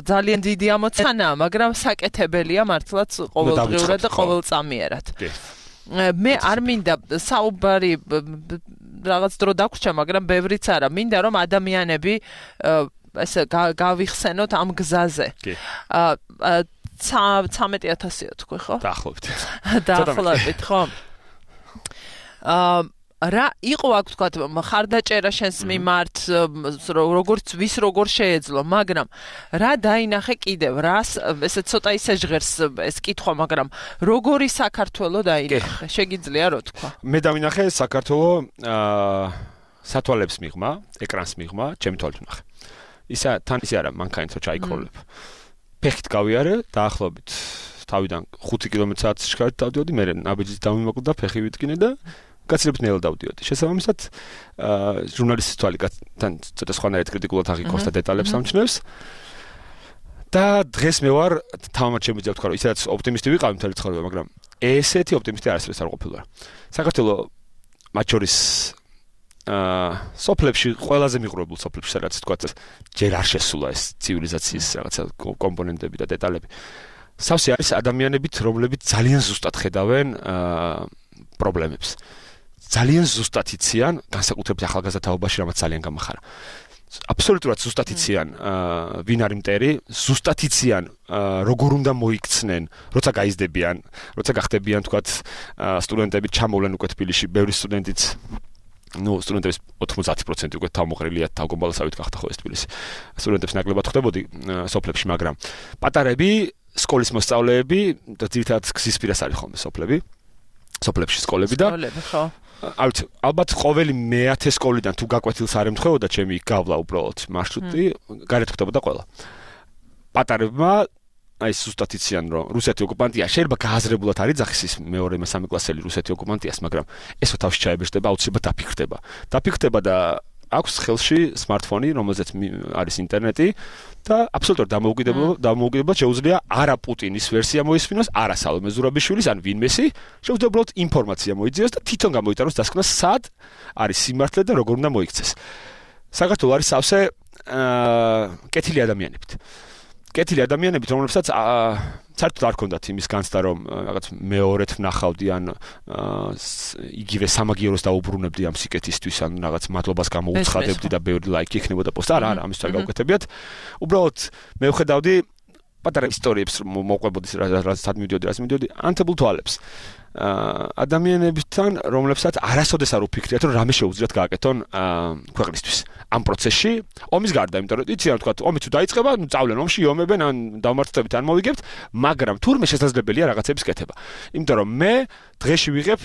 ძალიან დიდი ამოცანაა მაგრამ საკეთებელია მართლაც ყოველდღიურად და ყოველწამიერად მე არ მინდა საუბარი რაღაც დრო დაგვრჩა, მაგრამ ბევრიც არა. მინდა რომ ადამიანები ესე გავიხსენოთ ამ გზაზე. 13000-ია თქვი, ხო? დაახლოებით, ხო? რა იყო აქ თქვა ხარდაჭერა შენს მიმართ როგორც როგორ შეეძლო მაგრამ რა დაინახე კიდევ რას ესე ცოტა ისე ჟღერს ეს კითხვა მაგრამ როგორი საქართველო დაინახე შეგიძლია რო თქვა მე დავინახე საქართველო სათვალებს მიღმა ეკრანს მიღმა ჩემი თვალით ვნახე ისა თან ისე არა მანქანით რო ჩაიქროლებ ფეხით გავიარე დაახლოებით თავიდან 5 კმ/სთ-ში დავდიოდი მე ნაბიჯით დავიმოკლდა ფეხი ვიტკინე და გაცილებით ნელა დავდიოდი. შესაბამისად, ჟურნალისტის თვალიდან ცოტა სხვანაირად კრიტიკულად აღიქვამს და დეტალებს ამჩნევს. და დღეს მე ვარ თამამად შემიძლია ვთქვა, რომ ისედაც ოპტიმისტი ვიყავი მთელი ცხოვრება, მაგრამ ესეთი ოპტიმისტი არასდროს არ ყოფილა. საქართველოს მათ შორის სოფლებში ყველაზე მიღრუებულ სოფლებში სადაც თქვა ჯერ არ შესულა ეს ცივილიზაციის რაღაცა კომპონენტები და დეტალები. სავსე არის ადამიანებით, რომლებიც ძალიან ზუსტად ხედავენ პრობლემებს. ძალიან ზუსტად იციან, განსაკუთრებით ახალგაზრდა თაობაში, რამაც ძალიან გამახარა. აბსოლუტურად ზუსტად იციან ვინ არის მტერი, ზუსტად იციან როგორ უნდა მოიქცნენ, როცა გაიზრდებიან, როცა გახდებიან თქვათ სტუდენტები ჩამოვლენ უკვე თბილისში, ბევრი სტუდენტიც სტუდენტების 90% უკვე თავმოყრილია თავგომბალასავით გახდა ხო ეს თბილისი. სტუდენტებს ნაკლებად ხვდებოდი სოფლებში, მაგრამ პატარები, სკოლის მოსწავლეები და ძირითადად გზის პირას არის ხოლმე სოფლებში სკოლები და ალბათ ყოველი მე-10 სკოლიდან თუ გაკვეთილს არ ემთხვეოდა ჩემი გავლა უბრალოდ მარშრუტი, გარეთ ხდებოდა ყველა. პატარებმა აი ზუსტად იციან რომ რუსეთი ოკუპანტია, შეიძლება გააზრებულად არ იძახის ის მეორე მესამე კლასელი რუსეთი ოკუპანტიას, მაგრამ ესო თავში ჩაებეჭდება, აუცილებლად დაფიქრდება და აქვს ხელში smartphone, რომელზეც არის ინტერნეტი და აბსოლუტურად დამოუკიდებლად შეუძლია არა პუტინის ვერსია მოისმინოს, არა სალომე ზურაბიშვილის, ან ვინმესი, შეუძლია უბრალოდ ინფორმაცია მოიძიოს და თვითონ გამოიტანოს დასკვნას სად არის სიმართლე და როგორ უნდა მოიქცეს. საქართველო არის სავსე კეთილი ადამიანებით. კეთილი ადამიანებით, რომლებსაც საერთოდ არ ქონდათ იმის განცდა, რომ რაღაც მეორეთ ვნახავდი ან იგივე სამაგიეროს დაუბრუნებდი ამ სიკეთისთვის, ან რაღაც მადლობას გამოუცხადებდი და ბევრი ლაიკი იქნებოდა პოსტ. არა, ამის თვე გავუკეთებიათ. უბრალოდ მე ვხედავდი პატარა ისტორიებს მოყვებოდი რაც მიდიოდი, ანთებულ თვალებს. ადამიანებთან, რომლებსაც არასოდეს არ უფიქრიათ, რომ რამე შეუძლიათ გააკეთონ ქვეყნისთვის. ამ პროცესში ომის გარდა, იმიტომ რომ იციან თქვა, ომი თუ დაიწყება, წავლენ ომში, იომებენ, ან დავმარცხდებით, ან მოვიგებთ, მაგრამ თურმე შესაძლებელია რაღაცების კეთება. იმიტომ რომ მე დღეში ვიღებ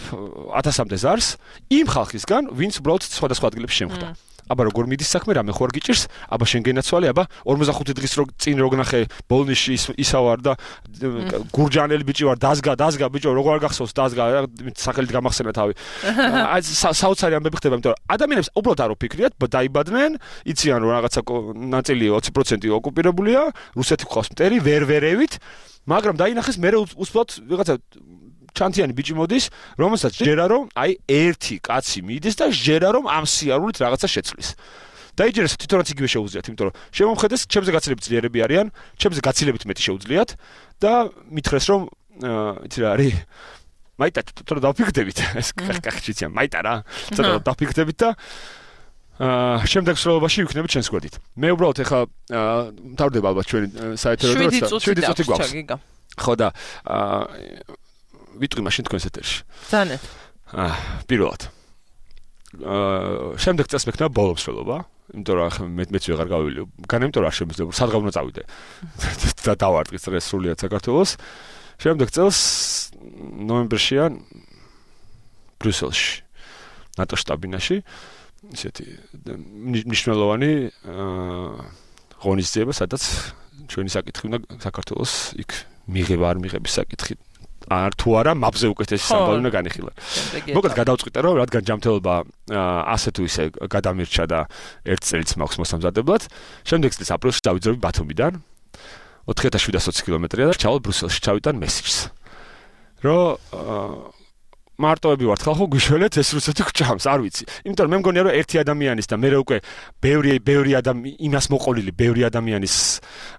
1000-მდე ზარს იმ ხალხისგან, ვინც უბრალოდ სხვადასხვა ადგილებში შემხვდა. აბა როგორ მიდის საქმე, რამე ხო არ გიჭირს, აბა შენ გენაცვალე, აბა 45 დღის წინ რო გნახე ბოლნიში ისავარ და გურჯანელი ბიჭი ვარ, დაზგა ბიჭო, როგორ არ გახსოვს დაზგა, სახელით გამახსენა თავი. აი საოცარი ამბები ხდება, იმიტომ რომ ადამიანებს უბრალოდ არ უფიქრიათ, დაიბადნენ, იციან რომ რაღაცა ნაწილი 20% ოკუპირებულია, რუსეთი ყავს მტერი, ვერვერევით, მაგრამ დაინახეს მე უბრალოდ რაღაცა ჩანთიანი ბიჭი მოდის, რომელსაც ჯერა რომ აი ერთი კაცი მიდის და ჯერა რომ ამ სიარულით რაღაცა შეცვლის. დაიჯერეს თვითონაც იგივე შეუძლიათ, იმიტომ რომ შემომხედეს, ჩემზე გაცილებით ძლიერები არიან, ჩემზე გაცილებით მეტი შეუძლიათ და მითხრეს რომ იცი რა არის მაიტა თორე დაფიქრდებით ეს კახჭიცია მაიტა რა ცოტა დაფიქრდებით და შემდეგ სროლობაში ვიქნებით ჩვენს გვერდით. მე უბრალოდ ეხლა მთავრდება ალბათ ჩვენი საეთერო და 7 წუთი გვაქვს. ხო და ვიტყვი მაშინ თქვენს ეთერში. ძალიან. პირველად. შემდეგ წელს მექნება ბოლო მსვლელობა, იმიტომ რომ ახლა მეც ვეღარ გავივილი. განე იმიტომ რომ არ შემიძლია, სადღა უნდა წავიდე. და დავარტყის ეს სრულიად საქართველოს. შემდეგ წელს ნოემბერშია ბრიუსელში, ნატო შტაბინაში, ისეთი მნიშვნელოვანი ღონისძიება, სადაც ჩვენი საკითხი უნდა საქართველოს იქ მიღება არ მიღების საკითხი არ თუ არა მაპზე უკეთესი სამბავი უნდა განიხილა. მოკლედ გადავწყვიტე რომ რადგან ჯანმრთელობა ასე თუ ისე გადამირჩა და ერთ წელიც მაქვს მოსამზადებლად, შემდეგ წლის აპრილში დავიძრები ბათუმიდან 4720 კილომეტრია და ჩავალ ბრიუსელში ჩავიტან მესიჯს. რომ მარტოები ვართ ხალხო გვიშველეთ ეს რუსეთი გჭამს, არ ვიცი. იმიტომ რომ მე მგონია რომ ერთი ადამიანის და მე უკვე ბევრი იმას მოყოლილი, ბევრი ადამიანის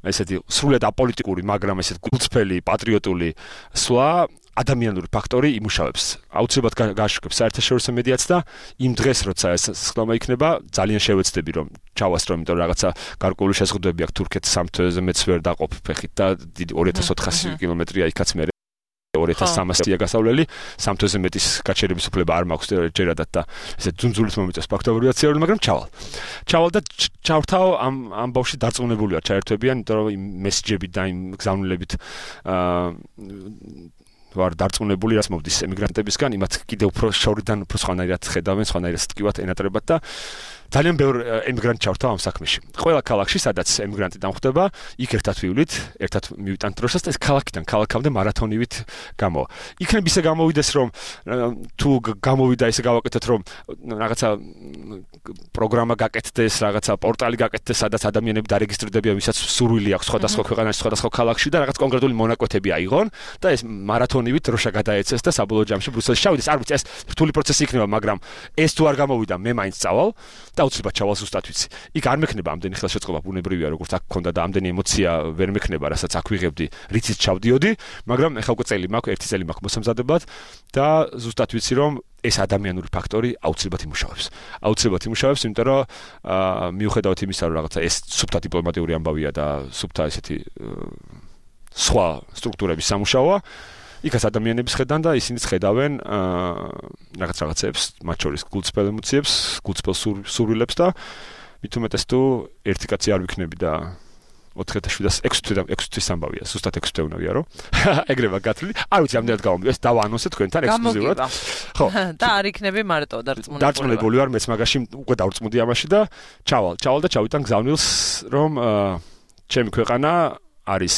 ესეთი სრულიად აპოლიტიკური, მაგრამ ესეთ გულწრფელი, პატრიოტული სვლა ადამიანური ფაქტორი იმუშავებს. აუცილებლად გააშუქებს საერთაშორისო მედიაც და იმ დღეს როცა ეს სხდომა იქნება, ძალიან შევეცდები რომ ჩავასწრო, იმიტომ რომ რაღაცა გარკვეული შეზღუდვები აქვს თურქეთს სამ თვეზე მეც ვერ დაყოფ ფეხით და 2400 კილომეტრია იქაც მე 2300-ია გასავლელი, სამ თვეზე მეტის გაჩერების უფლება არ მაქვს ჯერადად და ესე ძუნძულით მომიწევს ფაქტობრივაცია, მაგრამ ჩავალ და ჩავრთავ ამ ბავშვი დარწმუნებული ვარ ჩაერთვებიან, იმიტომ რომ იმ მესიჯებით და იმ გზავნილებით ვარ დარწმუნებული, რაც მოვდის ემიგრანტებისგან, იმათ კიდევ უფრო შორიდან უფრო სხვანაირად ხედავენ, სხვანაირად ტკივათ ენატრებათ და ძალიან ბევრი ემიგრანტი ჩავარდა ამ საქმეში. ყველა ქალაქში, სადაც ემიგრანტი დამხვდება, იქ ერთად ვივლით, ერთად მივიტანთ დროშას და ეს ქალაქიდან ქალაქამდე მარათონივით გამოვა. იქნებ ისე გამოვიდეს, რომ თუ გამოვიდა ისე გავაკეთეთ, რომ რაღაცა პროგრამა გაკეთდეს, რაღაცა პორტალი გაკეთდეს, სადაც ადამიანები დარეგისტრირდებიან, ვისაც სურვილი აქვს სხვადასხვა ქვეყანაში, სხვადასხვა ქალაქში და რაღაც კონკრეტული მონაკვეთები აიღონ და ეს მარათონივით დროშა გადაეცეს და საბოლოო ჯამში ბრიუსელში ჩავიდეს. არ ვიცი, ეს რთული პროცესი იქნება, მაგრამ ეს თუ არ გამოვიდა, მე მაინც წავალ და აუცილებლად ჩავალ ზუსტად ვიცი. იქ არ მექნება ამდენი ხელშეწყობა, ბუნებრივია, როგორც აქ ქონდა და ამდენი ემოცია ვერ მექნება, რასაც აქ ვიღებდი, რითიც ჩავდიოდი, მაგრამ ეხლა უკვე წელი მაქვს, ერთი წელი მაქვს მოსამზადებად და ზუსტად ვიცი, რომ ეს ადამიანური ფაქტორი აუცილებლად იმუშავებს. აუცილებლად იმუშავებს, იმიტომ რომ მიუხედავად იმისა, რომ რაღაცა ეს სუფთა დიპლომატიური ამბავია და სუფთა ესეთი სხვა სტრუქტურების სამუშაოა, იქაც ადამიანების ხედან და ისინი ხედავენ რაღაცებს, მათ შორის გულწრფელ ემოციებს, გულწრფელ სურვილებს და მით უმეტეს თუ ერთი კაცი არ ვიქნები და 4706 თვის ამბავია, ზუსტად 6 თვე უნდა რომ ეგრევა გათვლილი. არ ვიცი, ამდენად გავამბობ, ეს დავაანონსე თქვენთან ექსკლუზიურად. ხო. და არ იქნები მარტო დარწმუნებული. დარწმუნებული ვარ, მეც მაგაში უკვე დავწმუნდი ამაში და ჩავალ და ჩავიტან გზავნილს, რომ ჩემი ქვეყანა არის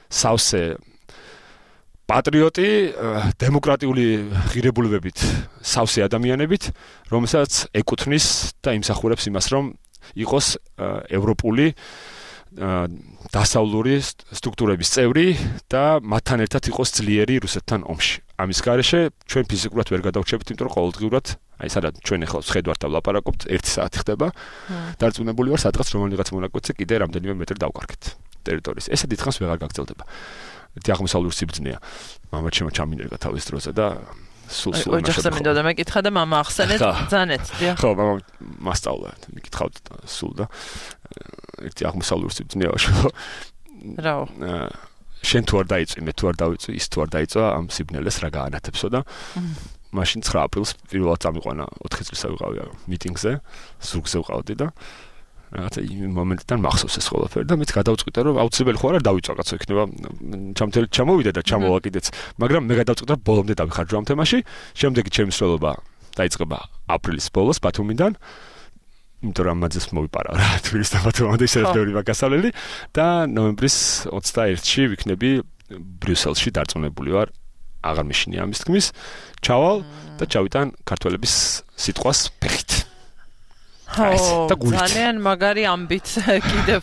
სავსე პატრიოტი, დემოკრატიული ღირებულებებით, სავსე ადამიანებით, რომელსაც ეკუთვნის და იმსახურებს იმას, რომ იყოს ევროპული დასავლური სტრუქტურების წევრი და მათთან ერთად იყოს ძლიერი რუსეთთან ომში. ამის გარეშე ჩვენ ფიზიკურად ვერ გადავრჩებით, იმიტომ რომ ყოველდღიურად, აი სადაც ჩვენ ახლა ვხედავთ და ვლაპარაკობთ, 1 საათი ხდება. დარწმუნებული ვარ, სადღაც რომელიღაც მონაკვეთზე კიდე რამდენიმე მეტრი დავკარგეთ ტერიტორიის. ესე დიდხანს ვეღარ გაგრძელდება. ერთი აღმოსავლური სიბრძნეა. მამა ჩემო ჩამინერგა თავის დროზე და სულ ოჯახზე მინდოდა მეკითხა და მამა ახსენეთ ბრძანეთ, დიახ. ხო, მამა მასწავლა, მიკითხავთ სულ და ერთი აღმოსავლური სიბრძნეა შევ. რაო. შენ თუ არ დაიწვი, მე თუ არ დავიწვი, ის თუ არ დაიწვა, ამ სიბნელეს რა გაანათებსო და მაშინ 9 აპრილს პირველად წამიყვანა 4 წელს ვიყავი მიტინგზე, ზურგზე ვყავდი და რაღაცა იმ მომენტიდან მახსოვს ეს ყველაფერი და მეც გადავწყვიტე რომ აუცილებელი ხო არ დავიწვა კაცო იქნება ჩამთელი ჩამოვიდა და ჩამოვა კიდეც მაგრამ მე გადავწყვიტე რომ ბოლომდე დავიხარჯო ამ თემაში შემდეგი ჩემი მსვლელობა დაიწყება აპრილის ბოლოს ბათუმიდან იმიტომ რომ ამაძეს მოვიპარა რა თბილისს და ბათუმამდე ისე ბევრი მაგასავლელი და ნოემბრის 21-ში ვიქნები ბრიუსელში დარწმუნებული ვარ აღარ მეშინია ამის თქმის ჩავალ და ჩავიტან ქართველების სიტყვას ფეხით ძალიან მაგარი ამბით კიდევ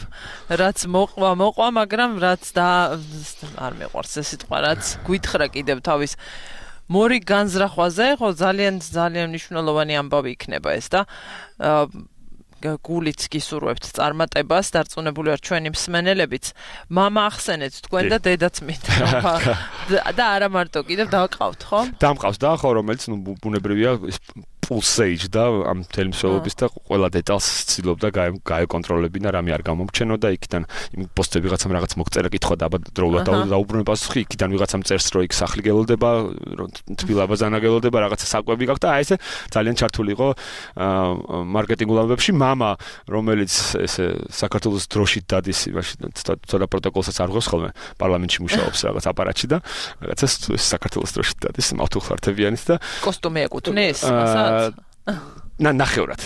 რაც მოყვა მაგრამ რაც არ მეყვარს ეს სიტყვა რაც გვითხრა კიდევ თავის მორი განზრახვაზე ხო ძალიან მნიშვნელოვანი ამბავი იქნება ეს და გულიც გისურვებთ წარმატებას დარწმუნებული ვარ ჩვენი მსმენელებიც მამა ახსენეთ თქვენ და დედაც მინდა და არა მარტო კიდევ დავყავთ ხო დამყავს და ხო რომელიც ბუნებრივია pulsage და ამ თელმსოლობის და ყველა დეტალს ცდილობდა გაეკონტროლებინა რამე არ გამომჩენო და იქიდან იმ პოსტები ვიღაცამ რაღაც მოგწერა კითხვა და დროულად დაუბრუნება პასუხი იქიდან ვიღაცამ წერს რომ იქ სახლი გელოდება თბილაბაზანა გელოდება რაღაცა საკვები გაქვს და აი ესე ძალიან ჩართული იყო მარკეტინგულ ამბებში მამა რომელიც ესე საქართველოს დროშით დადის იმაში ცოტა პროტოკოლსაც არ ღვევს ხოლმე პარლამენტში მუშაობს რაღაც აპარატში და რაღაცა საქართველოს დროშით დადის მავთულხართებიანის და კოსტუმი ეკუთვნის მასაც ნახევრად,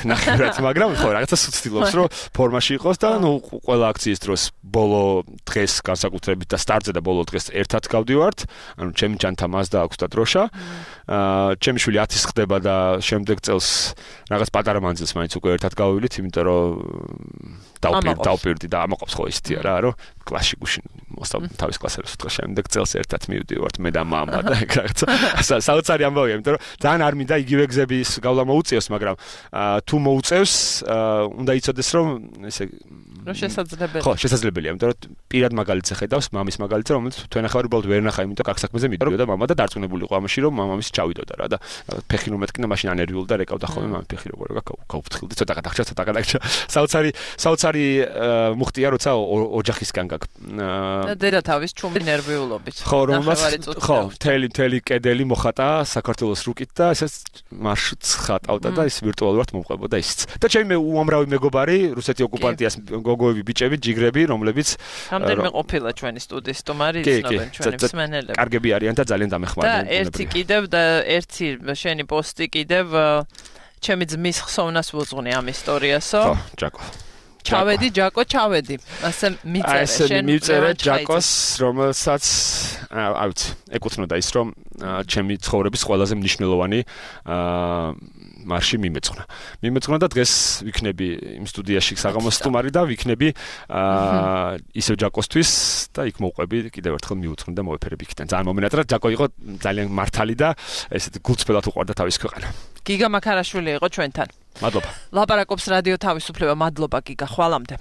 მაგრამ ხო, რაღაცას ვცდილობს, რომ ფორმაში იყოს და ნუ ყველა აქციის დროს ბოლო დღეს განსაკუთრებით და სტარტზე და ბოლო დღეს ერთად გავდივართ, ანუ ჩემი ჯანთა მას და აქვს და დროშა. ჩემი შვილი 10-ის ხდება და შემდეგ წელს რაღაც პატარა მანძილს მაინც უკვე ერთად გავივლით, იმიტომ რომ დავპირდი და ამაყობს ხო ისეთი რა, რომ კლასში გუშინ მოსწავლე თავის კლასელებს უთხრა შემდეგ წელს ერთად მივდივართ მე და მამა და ეგ რაღაცა საოცარი ამბავია, იმიტომ რომ ძალიან არ მინდა იგივე გზების გავლა მოუწიოს, მაგრამ თუ მოუწევს, უნდა იცოდეს რომ ესე შესაძლებელია. ხო, შესაძლებელია, იმიტომ რომ პირად მაგალითზე ხედავს, მამის მაგალითზე, რომელიც თქვენ ახლა უბრალოდ ვერ ნახა, იმიტომ კარგ საქმეზე მიდიოდა მამა და დარწმუნებული იყო ამაში, რომ მამამისი ჩავიდოდა რა და ფეხი რომ მეთქნა, მაშინ ანერვიულ და რეკავდა ხოლმე მამის ფეხი როგორ გავფრთხილდი, ცოტა გადაგჭა. საოცარი მუხტია, როცა ოჯახისგან გაქვს. და დედა თავის ჩუმი ნერვიულობით. ხო, მთელი კედელი მოხატა საქართველოს რუკით და ესეც მარშრუტს ხატავდა და ის ვირტუალურად მომყვებოდა ისიც. და ჩემი უამრავი მეგობარი, რუსეთი ოკუპანტიას გოგოები, ბიჭები, ჯიგრები, რომლებიც რამდენიმე ყოფილა ჩვენი სტუდიის სტუმარი, იცნობენ ჩვენი მსმენელები. კარგები არიან და ძალიან დამეხმარებიან. და ერთი კიდევ და ერთი შენი პოსტი კიდევ ჩემი ძმის ხსოვნას ვუძღვნი ამ ისტორიასო. ხო, ჯაკო. ჩავედი, ჯაკო, ჩავედი. ასე მიწერე, შენ მიწერე ჯაკოს, რომელსაც ავიც, ეკუთვნოდა ის, რომ ჩემი ცხოვრების ყველაზე მნიშვნელოვანი მარში მიმეწყნა და დღეს ვიქნები იმ სტუდიაში საღამოს სტუმარი და ვიქნები ისევ ჯაკოსთვის და იქ მოვყვები კიდევ ერთხელ მიუძღვნი და მოვეფერები იქიდან. ძალიან მომენატრა, ჯაკო იყო ძალიან მართალი და ესეთ გულწრფელად უყვარდა თავის ქვეყანა. გიგა მაქარაშვილი იყო ჩვენთან. მადლობა. ლაპარაკობს რადიო თავისუფლება, მადლობა გიგა, ხვალამდე.